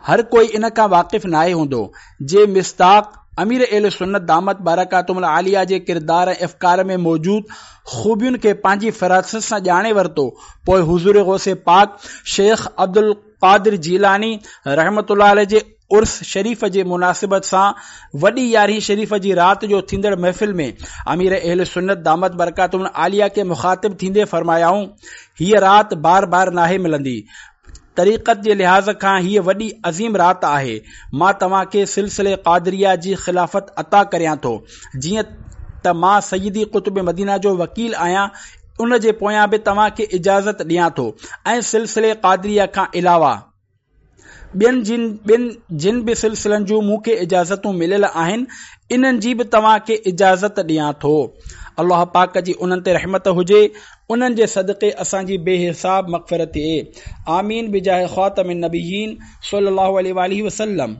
هر ڪوئي ان کان واقف ناهي هوندو، جي مصداق امير اهل سنت دامت برڪاتهم العاليه جي ڪردار ۽ افڪار ۾ موجود خوبين کي پنهنجي فراست سان ڄاڻي ورتو، پوء حضور غوث پاڪ شيخ عبدالقادر جيلاني رحمة الله عليه جي عرس شريف جي مناسبت سان وڏي يارهين شريف جي رات جو ٿيندڙ محفل ۾ امير اهل سنت دامت برڪاتهم العاليه کي مخاطب ٿيندي فرمايائون، هيء رات بار بار ناهي ملندي، طريقت جي لحاظ کان هيء وڏي عظيم رات آهي. مان توهان کي سلسلي قادريه جي خلافت عطا ڪريان ٿو. جيئن ته مان سيدي قطب مدينه جو وڪيل آهيان ان جي پويان به توهان کي اجازت ڏيان ٿو ۽ سلسلي قادريه کان علاوه ٻين ٻين جن به سلسلن جون مون کي اجازتون مليل آهن انهن جي به توهان کي اجازت ڏيان ٿو. الله پاڪ جي انهن تي رحمت هجي. انهن جي صدقي اسان جي بي حساب مغفرت ٿئي آمين بجاه خاتم النبيين صلي الله عليه واله وسلم.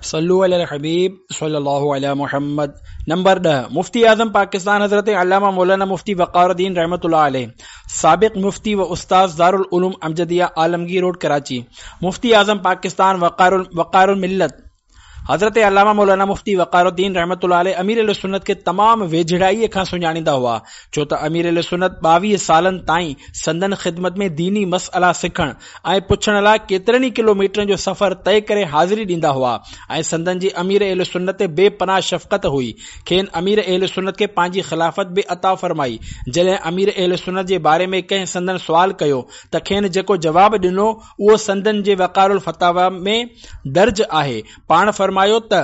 صلو علی الحبيب صلي الله علي محمد نمبر 10 مفتي اعظم پاڪستان حضرت علامه مولانا مفتي وقار الدين رحمة الله عليه سابق مفتي و استاذ دارالعلوم امجديه عالمگير روڊ ڪراچي مفتي اعظم پاڪستان وقار وقار الملت حضرت علامه مولانا مفتي وقار الدين رحمة الله عليه امير اهلسنت کي تمام ويجهڙائيء کان سڃاڻيندا هئا، ڇو ته امير اهلسنت 22 سالن تائين سندن خدمت ۾ ديني مسئلا سکڻ ۽ پڇڻ لاء ڪيترن ئي ڪلوميٽرن جو سفر طئي ڪري حاضري ڏيندا هئا ۽ سندن جي امير اهلسنت تي بي پناهه شفقت هئي. کين امير اهلسنت کي پنهنجي خلافت به عطا فرمائي. جڏهن امير اهلسنت جي باري ۾ ڪنهن سندن سوال ڪيو ته کين جيڪو جواب ڏنو اهو سندن جي وقار الفتاويٰ ۾ درج آهي. پاڻ فرمايو ته،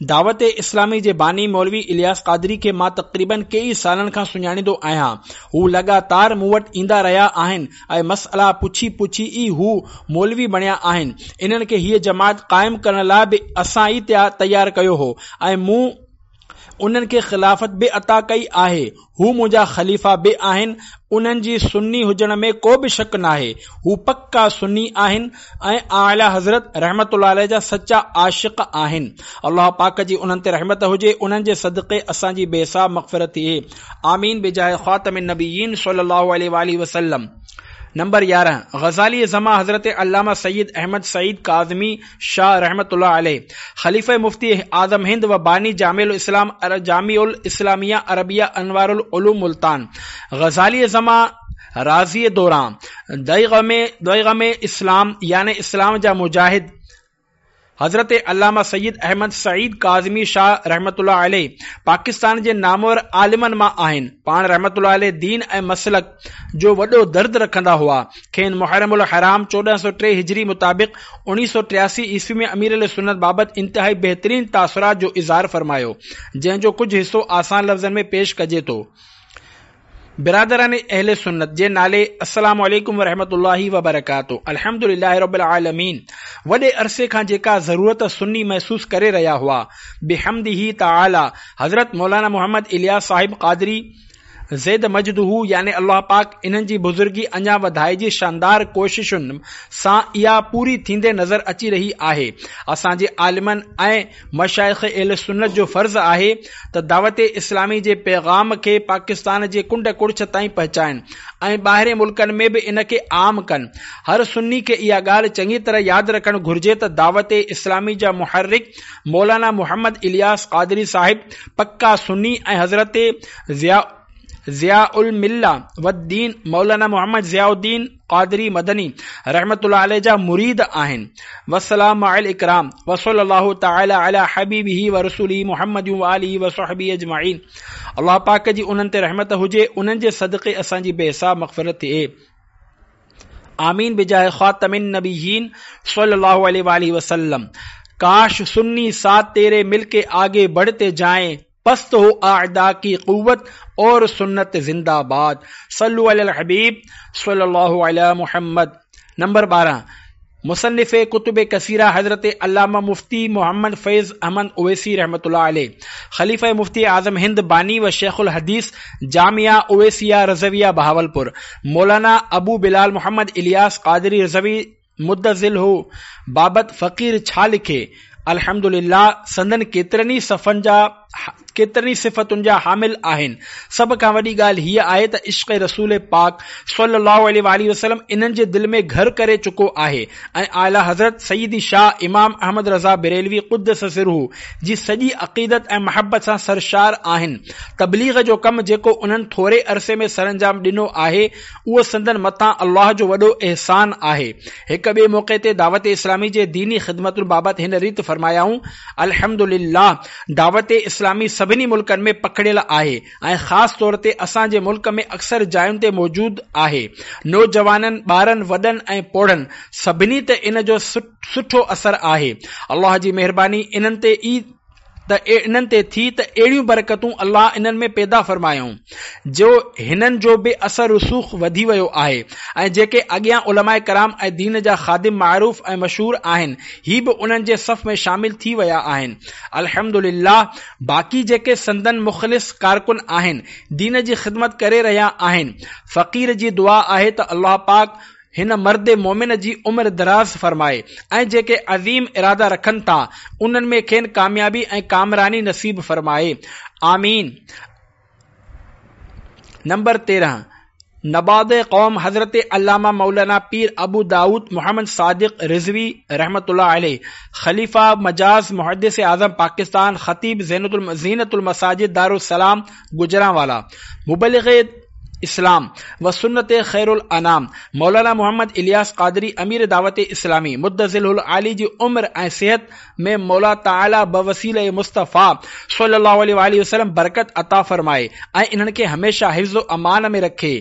دعوت اسلامي جي باني مولوي الياس قادري کي مان تقريباً ڪيئي سالن کان سڃاڻيندو آهيان. هو لڳاتار مون وٽ ايندا رهيا آهن ۽ مسئلا پڇي پڇي ئي هو مولوي بڻيا آهن. انهن کي هيء جماعت قائم ڪرڻ لاء به اسان ئي تيار ڪيو هو ۽ مون انهن کي خلافت به عطا ڪئي آهي، هو منهنجا خليفا به آهن، انهن جي سني هجڻ ۾ ڪو به شڪ ناهي، هو پڪا سني آهن ۽ اعليٰ حضرت رحمة الله عليه جا سچا عاشق آهن. الله پاڪ جي انهن تي رحمت هجي، انهن جي صدقي اسان جي بي حساب مغفرت ٿئي. آمين بجاه خاتم النبيين صلي الله عليه واٰله وسلم. نمبر 11، غزالي زمان حضرت علامه سيد احمد سعيد ڪاظمي شاهه رحمة الله عليه، خليفه مفتي اعظم هند و باني جامع الاسلام جامع الاسلاميه عربيه انوار العلوم ملتان، غزالي زمان رازي دوران، ضيغم اسلام يعني اسلام جا مجاهد، حضرت علامه سيد احمد سعيد ڪاظمي شاهه رحمة الله عليه پاڪستان جي نامور عالمن مان آهن. پاڻ رحمة الله عليه دين ۽ مسلڪ جو وڏو درد رکندا هئا. کين محرم الحرام 1403 هجري مطابق 1983 عيسوي ۾ امير اهلسنت بابت انتهائي بهترين تاثرات جو اظهار فرمايو، جنهن جو ڪجهه حصو آسان لفظن ۾ پيش ڪجي ٿو. برادران اهل سنت جي نالي السلام عليڪم ورحمة الله وبرڪاته الحمد لله رب العالمين وڏي عرصي کان جيڪا ضرورت سني محسوس ڪري رهيا هئا بحمده تعالي حضرت مولانا محمد الياس صاحب قادري زيد مجده يعني الله پاڪ انهن جي بزرگي اڃا وڌائي جي شاندار ڪوششن سان اها پوري ٿيندي نظر اچي رهي آهي اسان جي عالمن ۽ مشائخ اهل سنت جو فرض آهي ته دعوت اسلامي جي پيغام کي پاڪستان جي ڪنڊ ڪڙڇ تائين پهچائن ۽ ٻاهرين ملڪن ۾ به ان کي عام ڪن. هر سني کي اها ڳالهه چڱي طرح ياد رکڻ گهرجي ته دعوت اسلامي جا محرڪ مولانا محمد الياس قادري صاحب پڪا سني ۽ حضرت ضياء ضياء المله والدين مولانا محمد ضياء الدين قادري مدني رحمة الله عليه جا مريد آهن. والسلام مع الاڪرام وصلي الله تعالي علي حبيبه ورسوله محمد وآله وصحبه اجمعين الله پاڪ جي انهن تي رحمت هجي انهن جي صدقي اسان جي بي حساب مغفرت ٿئي آمين بجاه خاتم النبيين صلي الله عليه واله وسلم ڪاش سني ساتھ تيري مل ڪي آگي بڙھتي جائين پست هو اعداء ڪي قوت اور سنت زنده باد صلو علی الحبيب صلي الله علي محمد نمبر 12 مصنف ڪتب ڪثيره حضرت علامه مفتي محمد فيض احمد اويسي رحمة الله عليه خليفه مفتي اعظم هند باني و شيخ الحديث جامعه اويسيه رضويه بهاولپور مولانا ابو بلال محمد الياس قادري رضوي مدظله بابت فقير ڇا لکي؟ الحمدلله سندن ڪيترن ئي صفن جا ڪيترن ئي صفتن جا حامل آهن. سڀ کان وڏي ڳالهه هيء آهي ته عشق رسول پاڪ صلي الله عليه واٰله وسلم انهن جي دل ۾ گهر ڪري چڪو آهي ۽ اعليٰ حضرت سيدي شاهه امام احمد رضا بريلوي قدس سره جي سڄي عقيدت ۽ محبت سان سرشار آهن. تبليغ جو ڪم جيڪو انهن ٿوري عرصي ۾ سرانجام ڏنو آهي اهو سندن مٿان الله جو وڏو احسان آهي. هڪ ٻئي موقعي تي دعوت اسلامي جي ديني خدمتن بابت هن ريت فرمايائون، الحمد لله دعوت اسلامي سڀني ملڪن ۾ پکڙيل آهي ۽ خاص طور تي اسان جي ملڪ ۾ اڪثر جاين تي موجود آهي. نوجوانن، ٻارن، وڏن ۽ پوڙهن سڀني تي ان جو سٺو اثر آهي. الله جي مهرباني انهن تي ئي ته انهن تي ٿي ته اهڙيون برڪتون الله انهن ۾ پيدا فرمايائون جو هنن جو به اثر رسوخ وڌي ويو آهي ۽ جيڪي اڳيان علماء ڪرام ۽ دين جا خادم معروف ۽ مشهور آهن هي به انهن جي صف ۾ شامل ٿي ويا آهن الحمدلله باقي جيڪي سندن مخلص ڪارڪن آهن دين جي خدمت ڪري رهيا آهن فقير جي دعا آهي ته الله پاڪ هن مرد مؤمن جي عمر دراز فرمائي ۽ جيڪي عظيم ارادا رکن ٿا انهن ۾ کين ڪاميابي ۽ ڪامراني نصيب فرمائي. آمين. نمبر 13. نباض قوم حضرت علامه مولانا پير ابو دائود محمد صادق رضوي رحمة الله عليه، خليفه مجاز محدث اعظم پاڪستان، خطيب زينت المساجد دارالسلام گجرانوالا، مبلغ اسلام و سنت خير الانام مولانا محمد الياس قادري امير دعوت اسلامي مدظله العالي جي عمر ۽ صحت ۾ مولا تعاليٰ بوسيله مصطفيٰ صلي الله عليه واٰله وسلم برڪت عطا فرمائي ۽ انهن کي هميشه حفظ و امان ۾ رکي.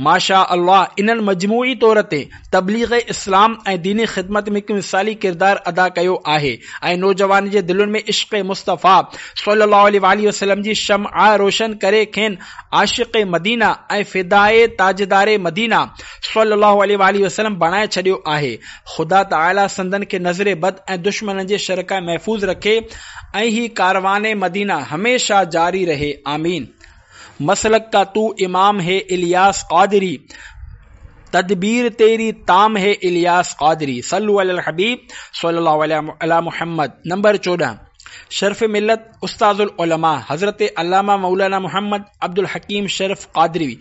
ماشاء الله انهن مجموعي طور تي تبليغ اسلام ۽ ديني خدمت ۾ هڪ مثالي ڪردار ادا ڪيو آهي ۽ نوجوانن جي دلين ۾ عشق مصطفيٰ صلي الله عليه واٰله وسلم جي شمع روشن ڪري کين عاشق مدينه ۽ فدائي تاجدار مدينه صلي الله عليه واٰله وسلم بڻائي ڇڏيو آهي. خدا تعاليٰ سندن کي نظر بد ۽ دشمنن جي شر کان محفوظ رکي ۽ هي ڪاروان مدينه هميشه جاري رهي. آمين. مسلڪ ڪا تو امام هي الياس قادري تدبير تيري تام هي الياس قادري صلو علي الحبيب صلي الله علي محمد نمبر 14 شرف ملت استاذ العلماء حضرت علامه مولانا محمد عبدالحڪيم شرف قادري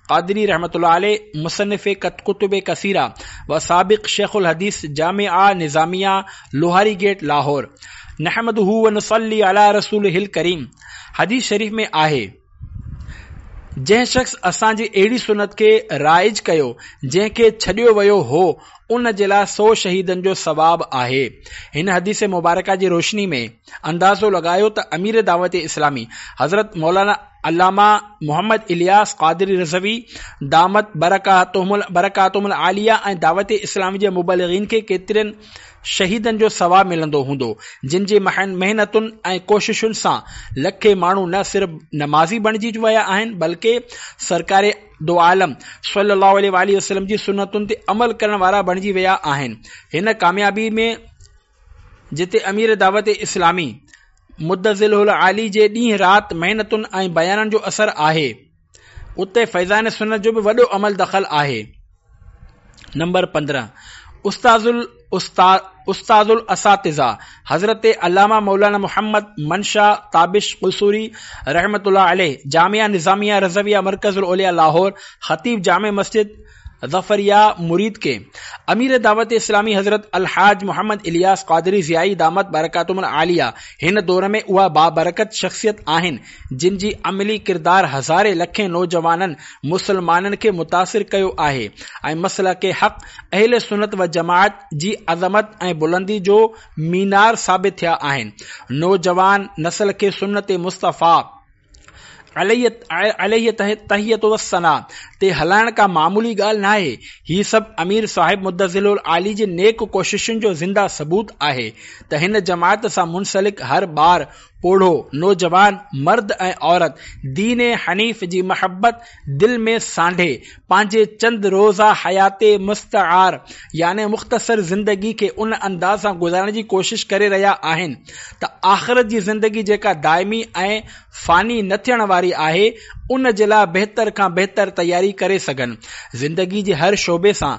قادري رحمة الله عليه مصنف ڪتب ڪثيره و سابق شيخ الحديث جامعه نظاميه لوهاري گيٽ لاهور نحمده و نصلي علي رسوله الڪريم حديث شريف ۾ آهي جنهن شخص اسان جي اهڙي سنت کي رائج ڪيو جنهن کي ڇڏيو ويو هو ان جي لاء سو شهيدن جو ثواب آهي هن حديث مبارڪه جي روشني ۾ اندازو لڳايو ته امير دعوت اسلامي حضرت مولانا علامه محمد الياس قادري رضوي دامت برڪاتهم العاليه ۽ دعوت اسلامي جي مبلغين کي ڪيترين شهيدن جو ثواب ملندو هوندو جن جي محنتن ۽ ڪوششن سان لکين ماڻهو نه صرف نمازي بڻجي ويا آهن بلڪه سرڪار دو عالم صلي الله عليه واٰله وسلم جي سنتن تي عمل ڪرڻ وارا بڻجي ويا آهن. هن ڪاميابي ۾ جتي امير دعوت اسلامي مدظله العالي جي ڏينهن رات محنتن ۽ بيانن جو اثر آهي اتي فيضان سنت جو به وڏو عمل دخل آهي. نمبر 15 استاذ استاذ الاساتذه حضرت علامه مولانا محمد منشا تابش قصوري رحمة الله عليه جامعه نظاميه رضويه مرڪز الاولياء لاهور خطيب جامع مسجد ظفريه مريد ڪي امير دعوت اسلامي حضرت الحاج محمد الياس قادري ضيائي دامت برڪاتهم العاليه هن دور ۾ اها بابرڪت شخصيت آهن جن جي عملي ڪردار هزارين لکين نوجوانن مسلمانن کي متاثر ڪيو آهي ۽ مسلڪ حق اهل سنت و جماعت جي عظمت ۽ بلندي جو مينار ثابت ٿيا آهن نوجوان نسل کي سنت مصطفيٰ عليه التحية والثناء تي هلائڻ ڪا معمولي ڳالهه ناهي. هي سڀ امير صاحب مدظله العالي جي نيڪ ڪوششن جو زنده ثبوت آهي ته هن جماعت سان منسلڪ هر ٻار، پوڙهو، نوجوان، مرد ۽ عورت دين حنيف جي محبت دل ۾ سانڍي پنهنجي چند روزه حيات مستعار يعني مختصر زندگي کي ان انداز سان گذارڻ جي ڪوشش ڪري رهيا آهن ته آخرت جي زندگي جيڪا دائمي ۽ فاني نه ٿيڻ واري آهي ان جي لاء بهتر کان بهتر تياري ڪري سگهن. زندگي جي هر شعبي سان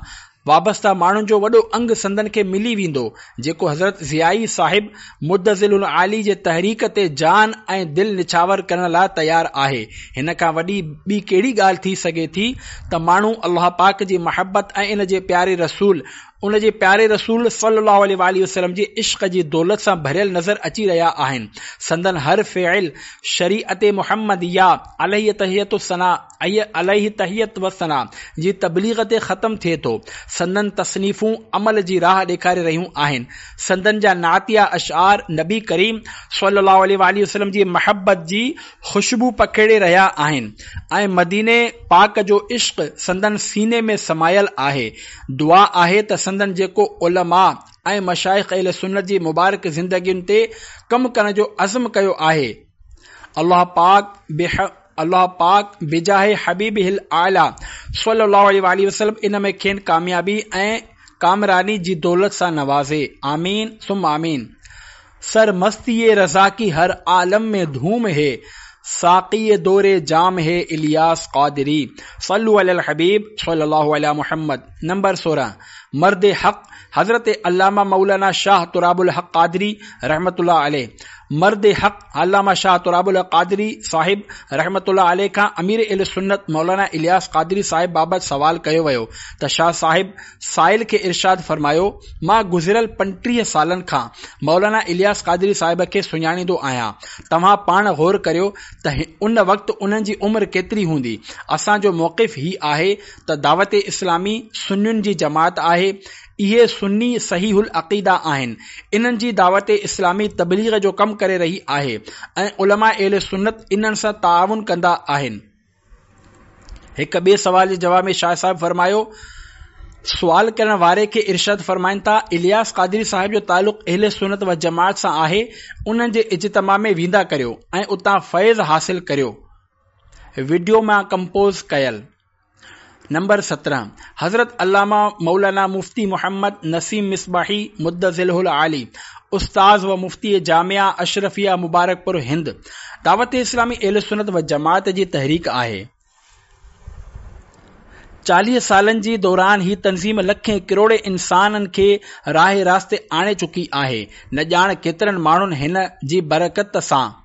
وابسته ماڻهن جو وڏو انگ سندن کي ملي ويندو جيڪو حضرت ضيائي صاحب مدظله العالي جي تحريڪ تي جان ۽ دل نڇاور ڪرڻ لاء تيار آهي. هن کان وڏي ٻي ڪهڙي ڳالهه ٿي سگهي ٿي ته ماڻهو الله پاڪ جي محبت ۽ ان جي پياري رسول ان جي پياري رسول صلي الله عليه واٰله وسلم جي عشق جي دولت سان ڀريل نظر اچي رهيا آهن. سندن هر فعل شريعت محمديه عليه تحية الثناء عليه تحية والثناء جي تبليغ تي ختم ٿئي ٿو. سندن تصنيفون عمل جي راهه ڏيکاري رهيون آهن. سندن جا نعتيه اشعار نبي ڪريم صلي الله عليه واٰله وسلم جي محبت جي خوشبو پکيڙي رهيا آهن ۽ مديني پاڪ جو عشق سندن سيني ۾ سمايل آهي. دعا آهي ته سندن جيڪو علماء ۽ مشائخ اهل سنت جي مبارڪ زندگين تي ڪم ڪرڻ جو عزم ڪيو آهي الله پاڪ الله پاڪ بجاه حبيبه الاعليٰ صلي الله عليه واٰله وسلم ان ۾ کين ڪاميابي ۽ ڪامراني جي دولت سان نوازي آمين ثم آمين. سر مستيء رضا ڪي هر عالم ۾ ڌوم هي ساقي دور جام هي الياس قادري صلو علي الحبيب صلي الله علي محمد نمبر 16 مرد حق حضرت علامه مولانا شاهه تراب الحق قادري رحمة الله عليه. مرد حق علامه شاهه تراب الحق قادري صاحب رحمة الله عليه کان امير اهل سنت مولانا الياس قادري صاحب بابت سوال ڪيو ويو ته شاهه صاحب سائل کي ارشاد فرمايو، مان گذريل 35 سالن کان مولانا الياس قادري صاحب کي سڃاڻيندو آهيان، توهان پاڻ غور ڪريو ته ان وقت انهن جي عمر ڪيتري هوندي، اسان جو موقف هي آهي ته دعوت اسلامي سنين جي جماعت آهي، اهي سني صحيح العقيده آهن، انهن جي دعوت اسلامي تبليغ جو ڪم ڪري رهي آهي ۽ علماء اهل سنت انهن سان تعاون ڪندا آهن. هڪ ٻئي سوال جي جواب ۾ شاهه صاحب فرمايو، سوال ڪرڻ واري کي ارشاد فرمائن ٿا، الياس قادري صاحب جو تعلق اهل سنت و جماعت سان آهي، انهن جي اجتماع ۾ ويندا ڪريو ۽ اتان فيض حاصل ڪريو. وڊيو مان ڪمپوز ڪيل. نمبر 17، حضرت علامه مولانا مفتي محمد نسيم مصباحي مدظله العالي، استاذ و مفتي جامعه اشرفيه مبارڪپور هند، دعوت اسلامي اهل سنت و جماعت جي تحريڪ آهي. 40 سالن جي دوران هي تنظيم لکين ڪروڙين انسانن کي راهه راست تي آڻي چڪي آهي. نه ڄاڻ ڪيترن ماڻهن هن جي برڪت سان.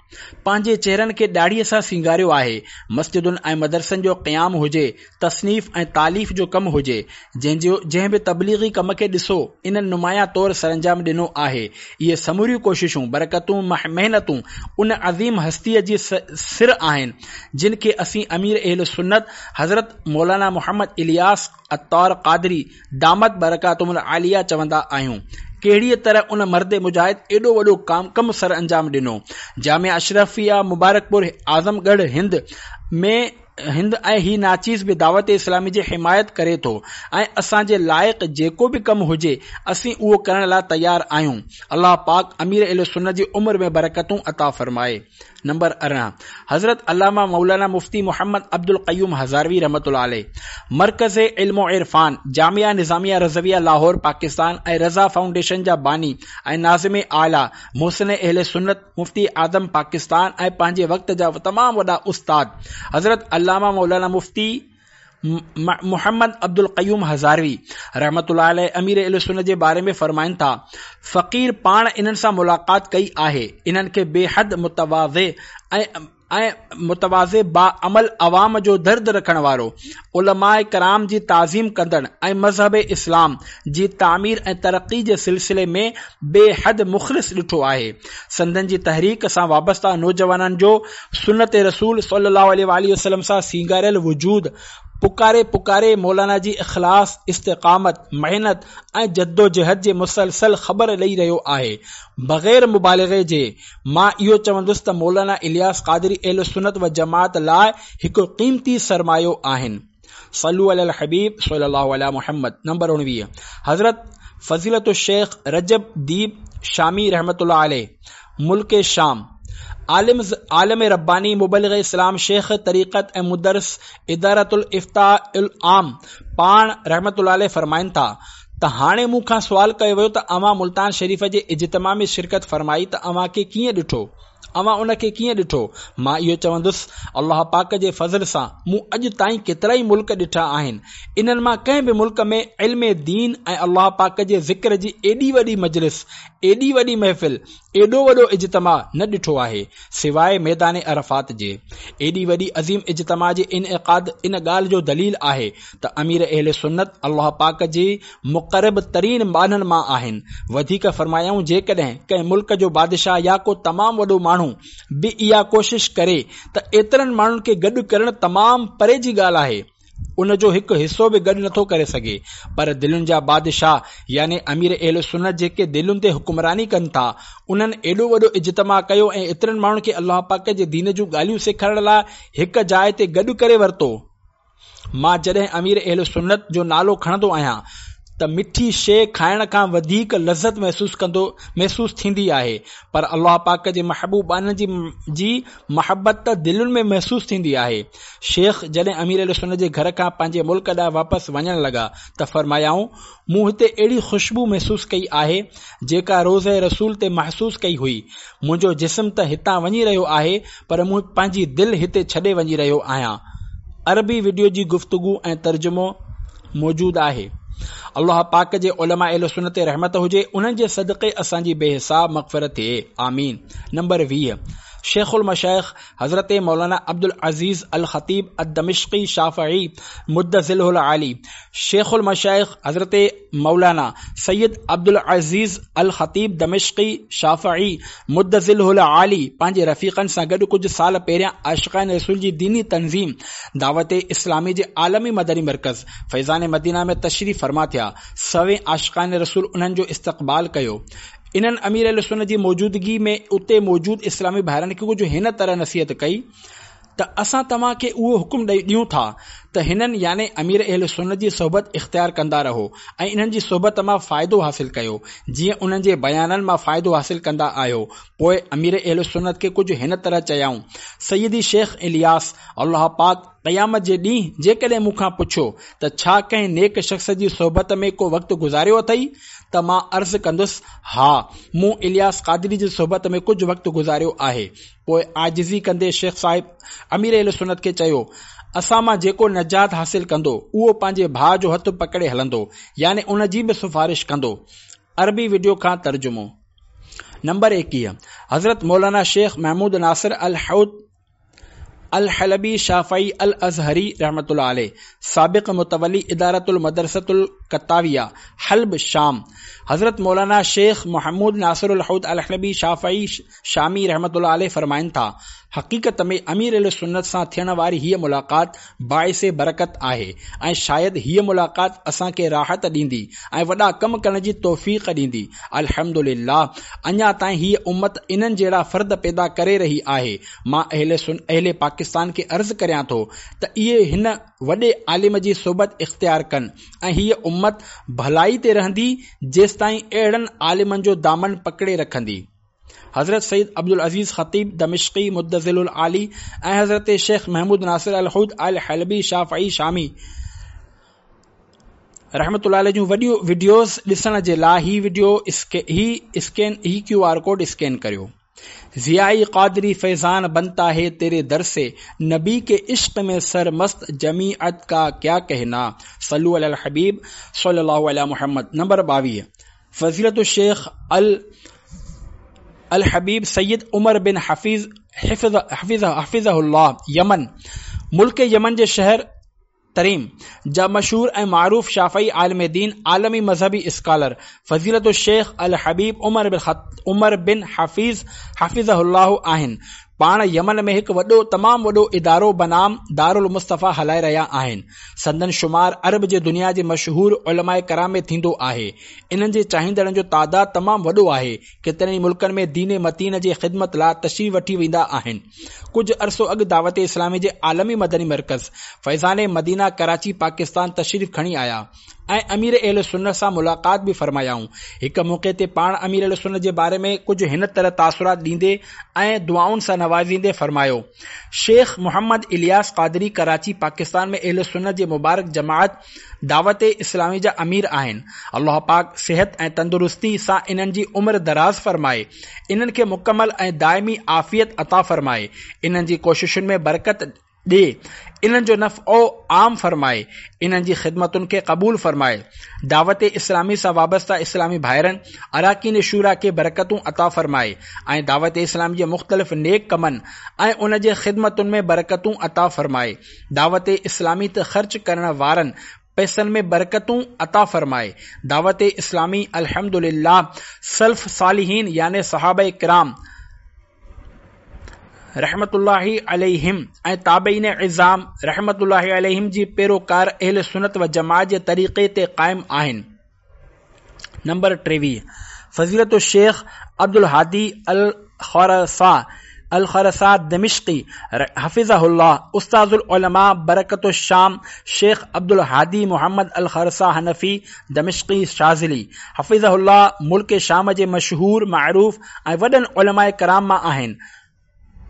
پنهنجي چهرن کي ڏاڙهيء سان سينگاريو آهي. مسجدن ۽ مدرسن جو قيام هجي، تصنيف ۽ تاليف جو ڪم هجي، جنهن جو جنهن به تبليغي ڪم کي ڏسو، انهن نمايان طور سرانجام ڏنو آهي. اهي سموريون ڪوششون، برڪتون، محنتون ان عظيم هستيء جي سر آهن، جن کي اسين امير اهل سنت حضرت مولانا محمد الياس عطار قادري دامت برڪاتهم العاليه چوندا آهيون. ڪهڙيء طرح ان مرد مجاهد ايڏو وڏو ڪم سرانجام ڏنو. جامعه اشرفيه مبارڪپور اعظم ڳڙهه هند ۾ هند ۽ هي ناچيز به دعوت اسلامي جي حمايت ڪري ٿو ۽ اسان جي لائق جيڪو به ڪم هجي اسين اهو ڪرڻ لاء تيار آهيون. الله پاڪ امير اهل سنت جي عمر ۾ برڪتون عطا فرمائي. نمبر 18، حضرت علامه مولانا مفتي محمد عبدالقيوم هزاروي رحمة الله عليه، مرڪز علم و عرفان، جامعه نظاميه رضويه لاهور پاڪستان ۽ رضا فائونڊيشن جا باني ۽ ناظم اعليٰ، محسن اهل سنت، مفتي اعظم پاڪستان ۽ پنهنجي وقت جا تمام وڏا استاد حضرت علامه مولانا مفتي محمد عبدالقيوم هزاروي رحمة الله عليه امير اهل سنت جي باري ۾ فرمائن ٿا، فقير پاڻ انهن سان ملاقات ڪئي آهي، انهن کي بي حد متواضع ۽ متواضع باعمل عوام جو درد رکڻ وارو، علماء ڪرام جي تعظيم ڪندڙ ۽ مذهب اسلام جي تعمير ۽ ترقي جي سلسلي ۾ بي حد مخلص ڏٺو آهي. سندن جي تحريڪ سان وابسته نوجوانن جو سنت رسول صلي الله عليه واٰله وسلم سان سينگاريل وجود پڪاري پڪاري مولانا جي اخلاص، استقامت، محنت ۽ جدوجهد جي مسلسل خبر ڏئي رهيو آهي. بغير مبالغي جي مان اهو چوندس ته مولانا الياس قادري اهل سنت و جماعت لاء هڪ قيمتي سرمايو آهن. صلو علی الحبيب صلي الله علي محمد نمبر 19 حضرت فضيلت الشيخ رجب ديب شامي رحمة الله عليه ملڪ شام عالم عالم رباني مبلغ اسلام شيخ طريقت ۽ مدرس ادارة الافتاء العام پاڻ رحمة الله عليه فرمائن ٿا ته هاڻي مون کان سوال ڪيو ويو ته اوهان ملتان شريف جي اجتماع ۾ شرڪت فرمائي ته اوهان کي ڪيئن ڏٺو اوهان ان کي ڪيئن ڏٺو؟ مان اهو چوندس، الله پاڪ جي فضل سان مون اڄ تائين ڪيترائي ملڪ ڏٺا آهن، انهن مان ڪنهن به ملڪ ۾ علم دين ۽ الله پاڪ جي ذڪر جي ايڏي وڏي مجلس، ايڏي وڏي محفل، ايڏو وڏو اجتماع نه ڏٺو آهي، سواء ميدان عرفات جي. ايڏي وڏي عظيم اجتماع جي انعقاد ان ڳالهه جو دليل آهي ته امير اهل سنت الله پاڪ جي مقرب ترين ٻانهن مان آهن. وڌيڪ فرمايائون جيڪڏهن ڪنهن ملڪ جو بادشاهه يا ڪو تمام وڏو ماڻهو به اها ڪوشش ڪري ته ايترن ماڻهن کي گڏ ڪرڻ تمام پري جي ڳالهه آهي ان جو هڪ حصو به گڏ نٿو ڪري سگهي پر دلين جا بادشاهه يعني امير اهل سنت جيڪي دلين تي حڪمراني ڪن ٿا انهن ايڏو وڏو اجتماع ڪيو ۽ ايترن ماڻهن کي الله پاڪ جي دين جون ڳالهيون سيکارڻ لاء هڪ جاء تي گڏ ڪري ورتو. مان جڏهن امير اهل سنت جو نالو کڻندو آهيان ته مٺي شيء کائڻ کان وڌيڪ لذت محسوس ڪندو محسوس ٿيندي آهي پر الله پاڪ جي محبوب ٻانهن جي جي محبت ته دلين ۾ محسوس ٿيندي آهي. شيخ جڏهن امير اهل سنت جي گهر کان پنهنجي ملڪ ڏانهن واپس وڃڻ لڳا ته فرمايائون مون هتي اهڙي خوشبو محسوس ڪئي آهي جيڪا روضه رسول تي محسوس ڪئي هئي منهنجو جسم ته هتان وڃي رهيو آهي پر مون پنهنجي دل هتي ڇڏي وڃي رهيو آهيان. عربي وڊيو جي گفتگو ۽ ترجمو موجود آهي. الله پاڪ جي علماء اهل سنت تي رحمت هجي، انهن جي صدقي اسان جي بي حساب مغفرت ٿئي. آمين. نمبر 20. شيخ المشائخ حضرت مولانا عبدالعزيز الخطيب الدمشقي شافعي مد ظله العالي شيخ المشائخ حضرت مولانا سيد عبدالعزيز الخطيب دمشقي شافعي مد ظله العالي پنهنجي رفيقن سان گڏ ڪجهه سال پهريان عاشقان رسول جي ديني تنظيم دعوت اسلامي جي عالمي مدني مرڪز فيضان مدينه ۾ تشريف فرما ٿيا. سوين عاشقان رسول انهن جو استقبال ڪيو. انهن امير اهلسنت جي موجودگي ۾ اتي موجود اسلامي ڀائرن کي ڪجهه هن طرح نصيحت ڪئي ته اسان توهان کي اهو حڪم ڏيون ٿا ته هنن يعني امير اهل سنت جي صحبت اختيار ڪندا رهو ۽ انهن جي صحبت مان فائدو حاصل ڪيو جيئن انهن جي بيانن مان فائدو حاصل ڪندا آهيو. پوء امير اهل سنت کي ڪجهه هن طرح چيائون، سيدي شيخ الياس الله پاڪ قيامت جي ڏينهن جيڪڏهن مون کان پڇيو ته ڇا ڪنهن نيڪ شخص جي صحبت ۾ ڪو وقت گذاريو اٿئي؟ ته مان عرض ڪندس، ها، مون الياس قادري جي صحبت ۾ ڪجهه وقت گذاريو آهي. پوء عاجزي ڪندي شيخ صاحب امير اهل سنت کي چيو، اسان مان جيڪو نجات حاصل ڪندو، اهو پنهنجي ڀاء جو هٿ پڪڙي هلندو، يعني ان جي به سفارش ڪندو. عربي وڊيو کان ترجمو. نمبر 21، حضرت مولانا شيخ محمود ناصر الحوت الحلبي شافعي الازهري رحمة الله عليه، سابق متولي ادارة المدرسة القطاويه، حلب، شام، حضرت مولانا شيخ محمود ناصر الحوت الحلبي شافعي شامي رحمة الله عليه فرمائن ٿا، حقيقت ۾ امير اهل سنت سان ٿيڻ واري هيء ملاقات باعث برڪت آهي ۽ شايد هيء ملاقات اسان کي راحت ڏيندي ۽ وڏا ڪم ڪرڻ جي توفيق ڏيندي. الحمد لله اڃا تائين هيء امت انهن جهڙا فرد پيدا ڪري رهي آهي. مان اهل اهل پاڪستان کي عرض ڪريان ٿو ته اهي هن وڏي عالم جي صحبت اختيار ڪن ۽ هيء امت ڀلائي تي رهندي جيستائين اهڙن عالمن جو دامن پڪڙي رکندي. حضرت سيد عبدالعزيز خطيب دمشقي مدظله العالي ۽ حضرت شيخ محمود ناصر الحوت الحلبي شافعي شامي رحمة الله عليه جون وڏيون وڊيوز ڏسڻ جي لاء هي وڊيو هي اسڪين هي ڪيو آر ڪوڊ اسڪين ڪريو. ضيائي قادري فيضان بنتا هي تيري در سي نبي ڪي عشق ۾ سر مست جميعت ڪا ڪيا ڪهنا صلو علي الحبيب صلي الله علي محمد نمبر 22 فضيلة الشيخ ال الحبيب سيد عمر بن حفيظ حفظ حفظ حفظه الله يمن ملڪ يمن جي شهر تريم جا مشهور ۽ معروف شافعي عالم دين عالمي مذهبي اسڪالر فضيلة الشيخ الحبيب عمر بن عمر بن حفيظ حفظه الله آهن پاڻ يمن ۾ هڪ وڏو تمام وڏو ادارو بنام دارالمصطفيٰ هلائي رهيا آهن. سندن شمار عرب جي دنيا جي مشهور علماء ڪرام ۾ ٿيندو آهي. انهن جي چاهيندڙن جو تعداد تمام وڏو آهي. ڪيترن ئي ملڪن ۾ دين متين جي خدمت لا تشريف وٺي ويندا آهن. ڪجهه عرصو اڳ دعوت اسلامي جي عالمي مدني مرڪز فيضان مدينه ڪراچي پاڪستان تشريف کڻي آيا. ۽ امير اهل سنت سان ملاقات به فرمايائون. هڪ موقعي تي پاڻ امير اهل سنت جي باري ۾ ڪجهه هن طرح تاثرات ڏيندي ۽ دعائن سان نوازيندي فرمايو، شيخ محمد الياس قادري ڪراچي پاڪستان ۾ اهل سنت جي مبارڪ جماعت دعوت اسلامي جا امير آهن. الله پاڪ صحت ۽ تندرستي سان انهن جي عمر دراز فرمائي، انهن کي مڪمل ۽ دائمي عافيت عطا فرمائي، انهن جي ڪوششن ۾ برڪت ڏي، انهن جو نفعو عام فرمائي، انهن جي خدمتن کي قبول فرمائي، دعوت اسلامي سان وابسته اسلامي ڀائرن، اراڪين شوريٰ کي برڪتون عطا فرمائي ۽ دعوت اسلامي جي مختلف نيڪ ڪمن ۽ ان جي خدمتن ۾ برڪتون عطا فرمائي، دعوت اسلامي تي خرچ ڪرڻ وارن پئسن ۾ برڪتون عطا فرمائي، دعوت اسلامي الحمدلله سلف صالحين يعني صحابه ڪرام، رحمة الله عليهم ۽ تابعين عظام رحمة الله عليهم جي پيروڪار اهل سنت و جماعت جي طريقي تي قائم آهن. نمبر 23 فضيلة الشيخ عبدالهادي الخرسا الخرسا دمشقي حفظه الله استاذ العلماء برڪت الشام شيخ عبدالهادي محمد الخرسا حنفي دمشقي شاذلي حفظه الله ملڪ شام جي مشهور معروف ۽ وڏن علماء ڪرام مان آهن.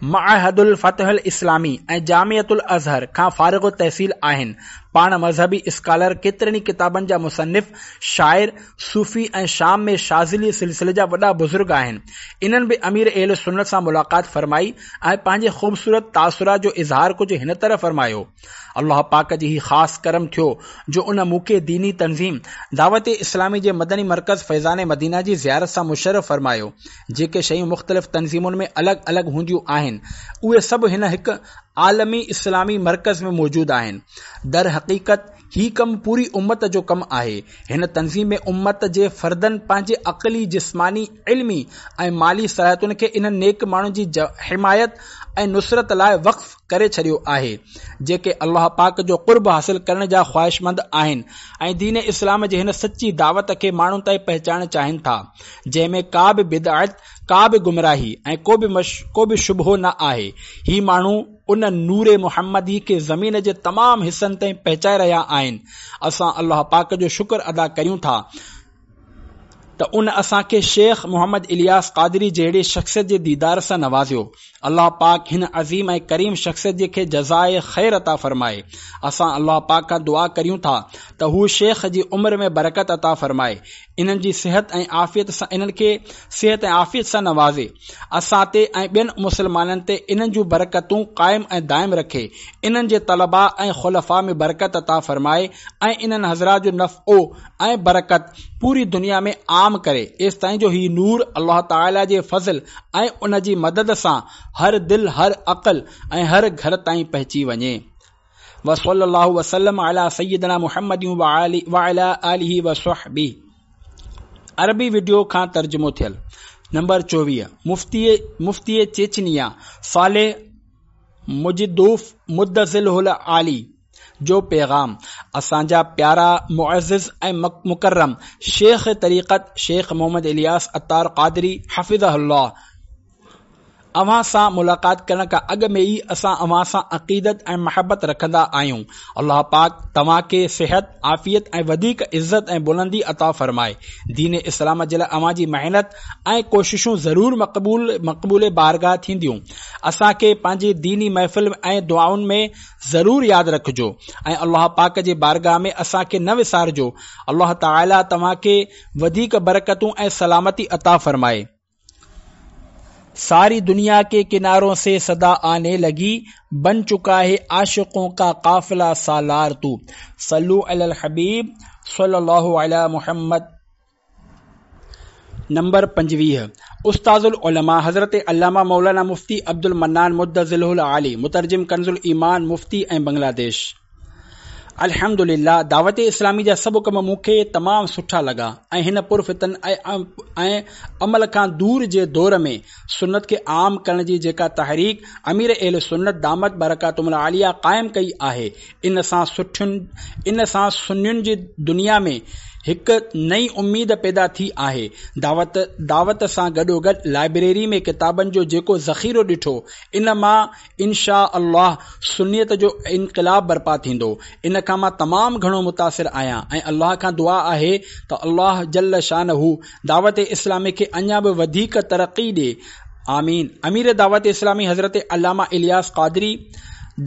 معهد الفتح الاسلامي ۽ جامعة الازهر کان فارغ التحصيل آهن. پاڻ مذهبي اسڪالر، ڪيترن ئي ڪتابن جا مصنف، شاعر، صوفي ۽ شام ۾ شاذلي سلسلي جا وڏا بزرگ آهن. انهن به امير اهل سنت سان ملاقات فرمائي ۽ پنهنجي خوبصورت تاثرات جو اظهار ڪجهه هن طرح فرمايو. الله پاڪ جي هي خاص ڪرم ٿيو جو ان مون کي ديني تنظيم دعوت اسلامي جي مدني مرڪز فيضان مدينه جي زيارت سان مشرف فرمايو. جيڪي شيون مختلف تنظيمن ۾ الڳ الڳ هونديون آهن اهي سڀ هن هڪ عالمي اسلامي مرڪز ۾ موجود آهن. درحقيقت هي ڪم پوري امت جو ڪم آهي. هن تنظيم ۾ امت جي فردن پنهنجي عقلي، جسماني، علمي ۽ مالي صلاحيتن کي انهن نيڪ ماڻهن جي حمايت ۽ نصرت لاء وقف ڪري ڇڏيو آهي، جيڪي الله پاڪ جو قرب حاصل ڪرڻ جا خواهشمند آهن ۽ دين اسلام جي هن سچي دعوت کي ماڻهن تائين پهچائڻ چاهين ٿا، جنهن ۾ ڪا به بدعت، ڪا به گمراهي ۽ ڪو به شبهو نه آهي. هي ماڻهو ان نور محمدي کي زمين جي تمام حصن تائين پهچائي رهيا آهن. اسان الله پاڪ جو شڪر ادا ڪريون ٿا ته ان اسان کي شيخ محمد الياس قادري جهڙي شخصيت جي ديدار سان نوازيو. الله پاڪ هن عظيم ۽ ڪريم شخصيت جي کي جزاء خير عطا فرمائي. اسان الله پاڪ کان دعا ڪريون ٿا ته هو شيخ جي عمر ۾ برڪت عطا فرمائي. انهن جي صحت ۽ عافيت سان انهن کي صحت ۽ عافيت سان نوازي. اسان تي ۽ ٻين مسلمانن تي انهن جون برڪتون قائم ۽ دائم رکي. انهن جي طلباء ۽ خلفاء ۾ برڪت عطا فرمائي ۽ انهن حضرات جو نفعو ۽ برڪت پوري دنيا ۾ عام ڪري ايستائين جو هي نور الله تعالي جي فضل ۽ ان جي مدد سان هر دل هر عقل ۽ هر گهر تائين پهچي وڃي. وصلي الله وسلم علي سيدنا محمد وعلي آله وصحبه. عربي وڊيو کان ترجمو ٿيل. نمبر 24 مفتي مفتي چيچنيا صالح مجدوف مدظله العالي جو پيغام اسان جا پيارا معزز ۽ مڪرم شيخ طريقت شيخ محمد الياس عطار قادري حفظه الله اوهان سان ملاقات ڪرڻ کان اڳ ۾ ئي اسان اوهان سان عقيدت ۽ محبت رکندا آهيون. الله پاڪ توهان کي صحت، عافيت ۽ وڌيڪ عزت ۽ بلندي عطا فرمائي. دين اسلام جي لاء اوهان جي محنت ۽ ڪوششون ضرور مقبول مقبول بارگاهه ٿينديون. اسان کي پنهنجي ديني محفل ۽ دعائن ۾ ضرور ياد رکجو ۽ الله پاڪ جي بارگاهه ۾ اسان کي نه وسارجو. الله تعالي توهان کي وڌيڪ برڪتون ۽ سلامتي عطا فرمائي. ساري دنيا ڪي ڪنارون سي صدا آني لگي بن چڪا هي عاشقون ڪا قافله سالار تو صلو علي الحبيب صلي الله علي محمد نمبر 25 استاذ العلماء حضرت علامه مولانا مفتي عبدالمنان مدظله العالي مترجم ڪنز الايمان مفتي ۽ بنگلاديش الحمد لله دعوت اسلامي جا سڀ ڪم مون کي تمام سٺا لڳا ۽ هن پرفتن ۽ عمل کان دور جي دور ۾ سنت کي عام ڪرڻ جي جيڪا تحريڪ امير اهل سنت دامت برڪاتهم العاليه قائم ڪئي آهي ان سان سٺين ان سان سنين جي دنيا ۾ هڪ نئين اميد پيدا ٿي آهي دعوت دعوت سان گڏوگڏ لائبريري ۾ ڪتابن جو جيڪو ذخيرو ڏٺو ان مان انشاء الله سنيت جو انقلاب برپا ٿيندو ان کان مان تمام گهڻو متاثر آهيان ۽ الله کان دعا آهي ته الله جل شانه دعوت اسلامي کي اڃا به وڌيڪ ترقي ڏي آمين امير دعوت اسلامي حضرت علامه الياس قادري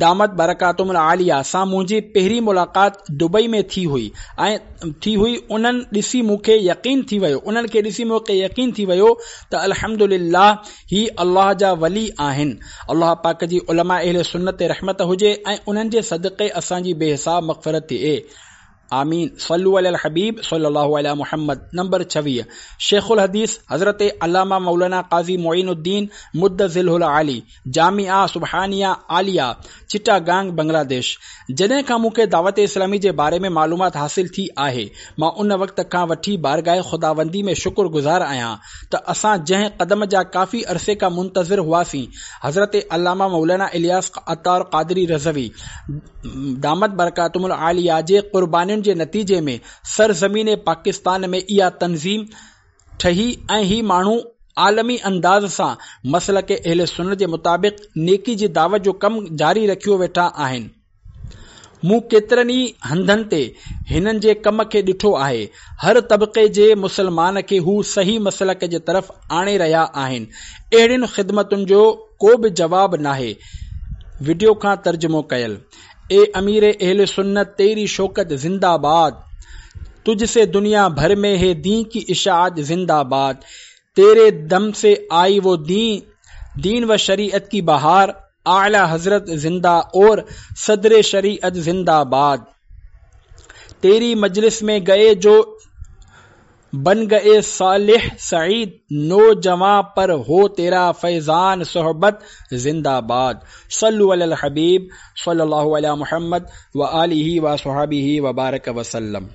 دامت برڪاتهم العاليه سان منهنجي پهرين ملاقات دبئي ۾ ٿي هئي ۽ ٿي هئي انهن ڏسي مون کي يقين ٿي ويو انهن کي ڏسي مون کي يقين ٿي ويو ته الحمدلله هي الله جا ولي آهن. الله پاڪ جي علماء اهل سنت تي رحمت هجي ۽ انهن جي صدقي اسان جي بي حساب مغفرت ٿئي. آمين صلو علي الحبيب صلي الله علي محمد نمبر 26 شيخ الحديث حضرت علامه مولانا قاضي معين الدين مد ظله العالي جامعه سبحانيه عاليه چٽاگانگ بنگلاديش جڏهن کان مون کي دعوت اسلامي جي باري ۾ معلومات حاصل ٿي آهي مان ان وقت کان وٺي بارگاهه خداوندي ۾ شڪر گذار آهيان ته اسان جنهن قدم جا ڪافي عرصي کان منتظر هئاسين حضرت علامه مولانا الياس عطار قادري رضوي دامت برڪاتهم العاليه جي قربانين جي نتيجي ۾ سرزمين پاڪستان ۾ اها تنظيم ٺهي ۽ هي ماڻهو عالمي انداز سان مسلڪ اهل سنت جي مطابق نيڪي جي دعوت جو ڪم جاري رکيو ويٺا آهن. مون ڪيترن ئي هنڌن تي هنن جي ڪم کي ڏٺو آهي. هر طبقي جي مسلمان کي هو صحيح مسلڪ جي طرف آڻي رهيا آهن. اهڙين خدمتن جو. ڪو به جواب ناهي. وڊيو کان ترجمو ڪيل. اي امير اهل سنت تيري شوڪت زنده باد تجھ سي دنيا ڀر ۾ هي دين ڪي اشاعت زنده باد تيري دم سي آئي وو دين دين و شريعت ڪي بهار اعليٰ حضرت زنده اور صدر شريعت زنده باد تيري مجلس ۾ گئي جو بن گئي صالح سعيد نوجوان پر هو تيرا فيضان صحبت زنده باد صلو علي الحبيب صلي الله علي محمد وآله وصحبه وبارڪ وسلم.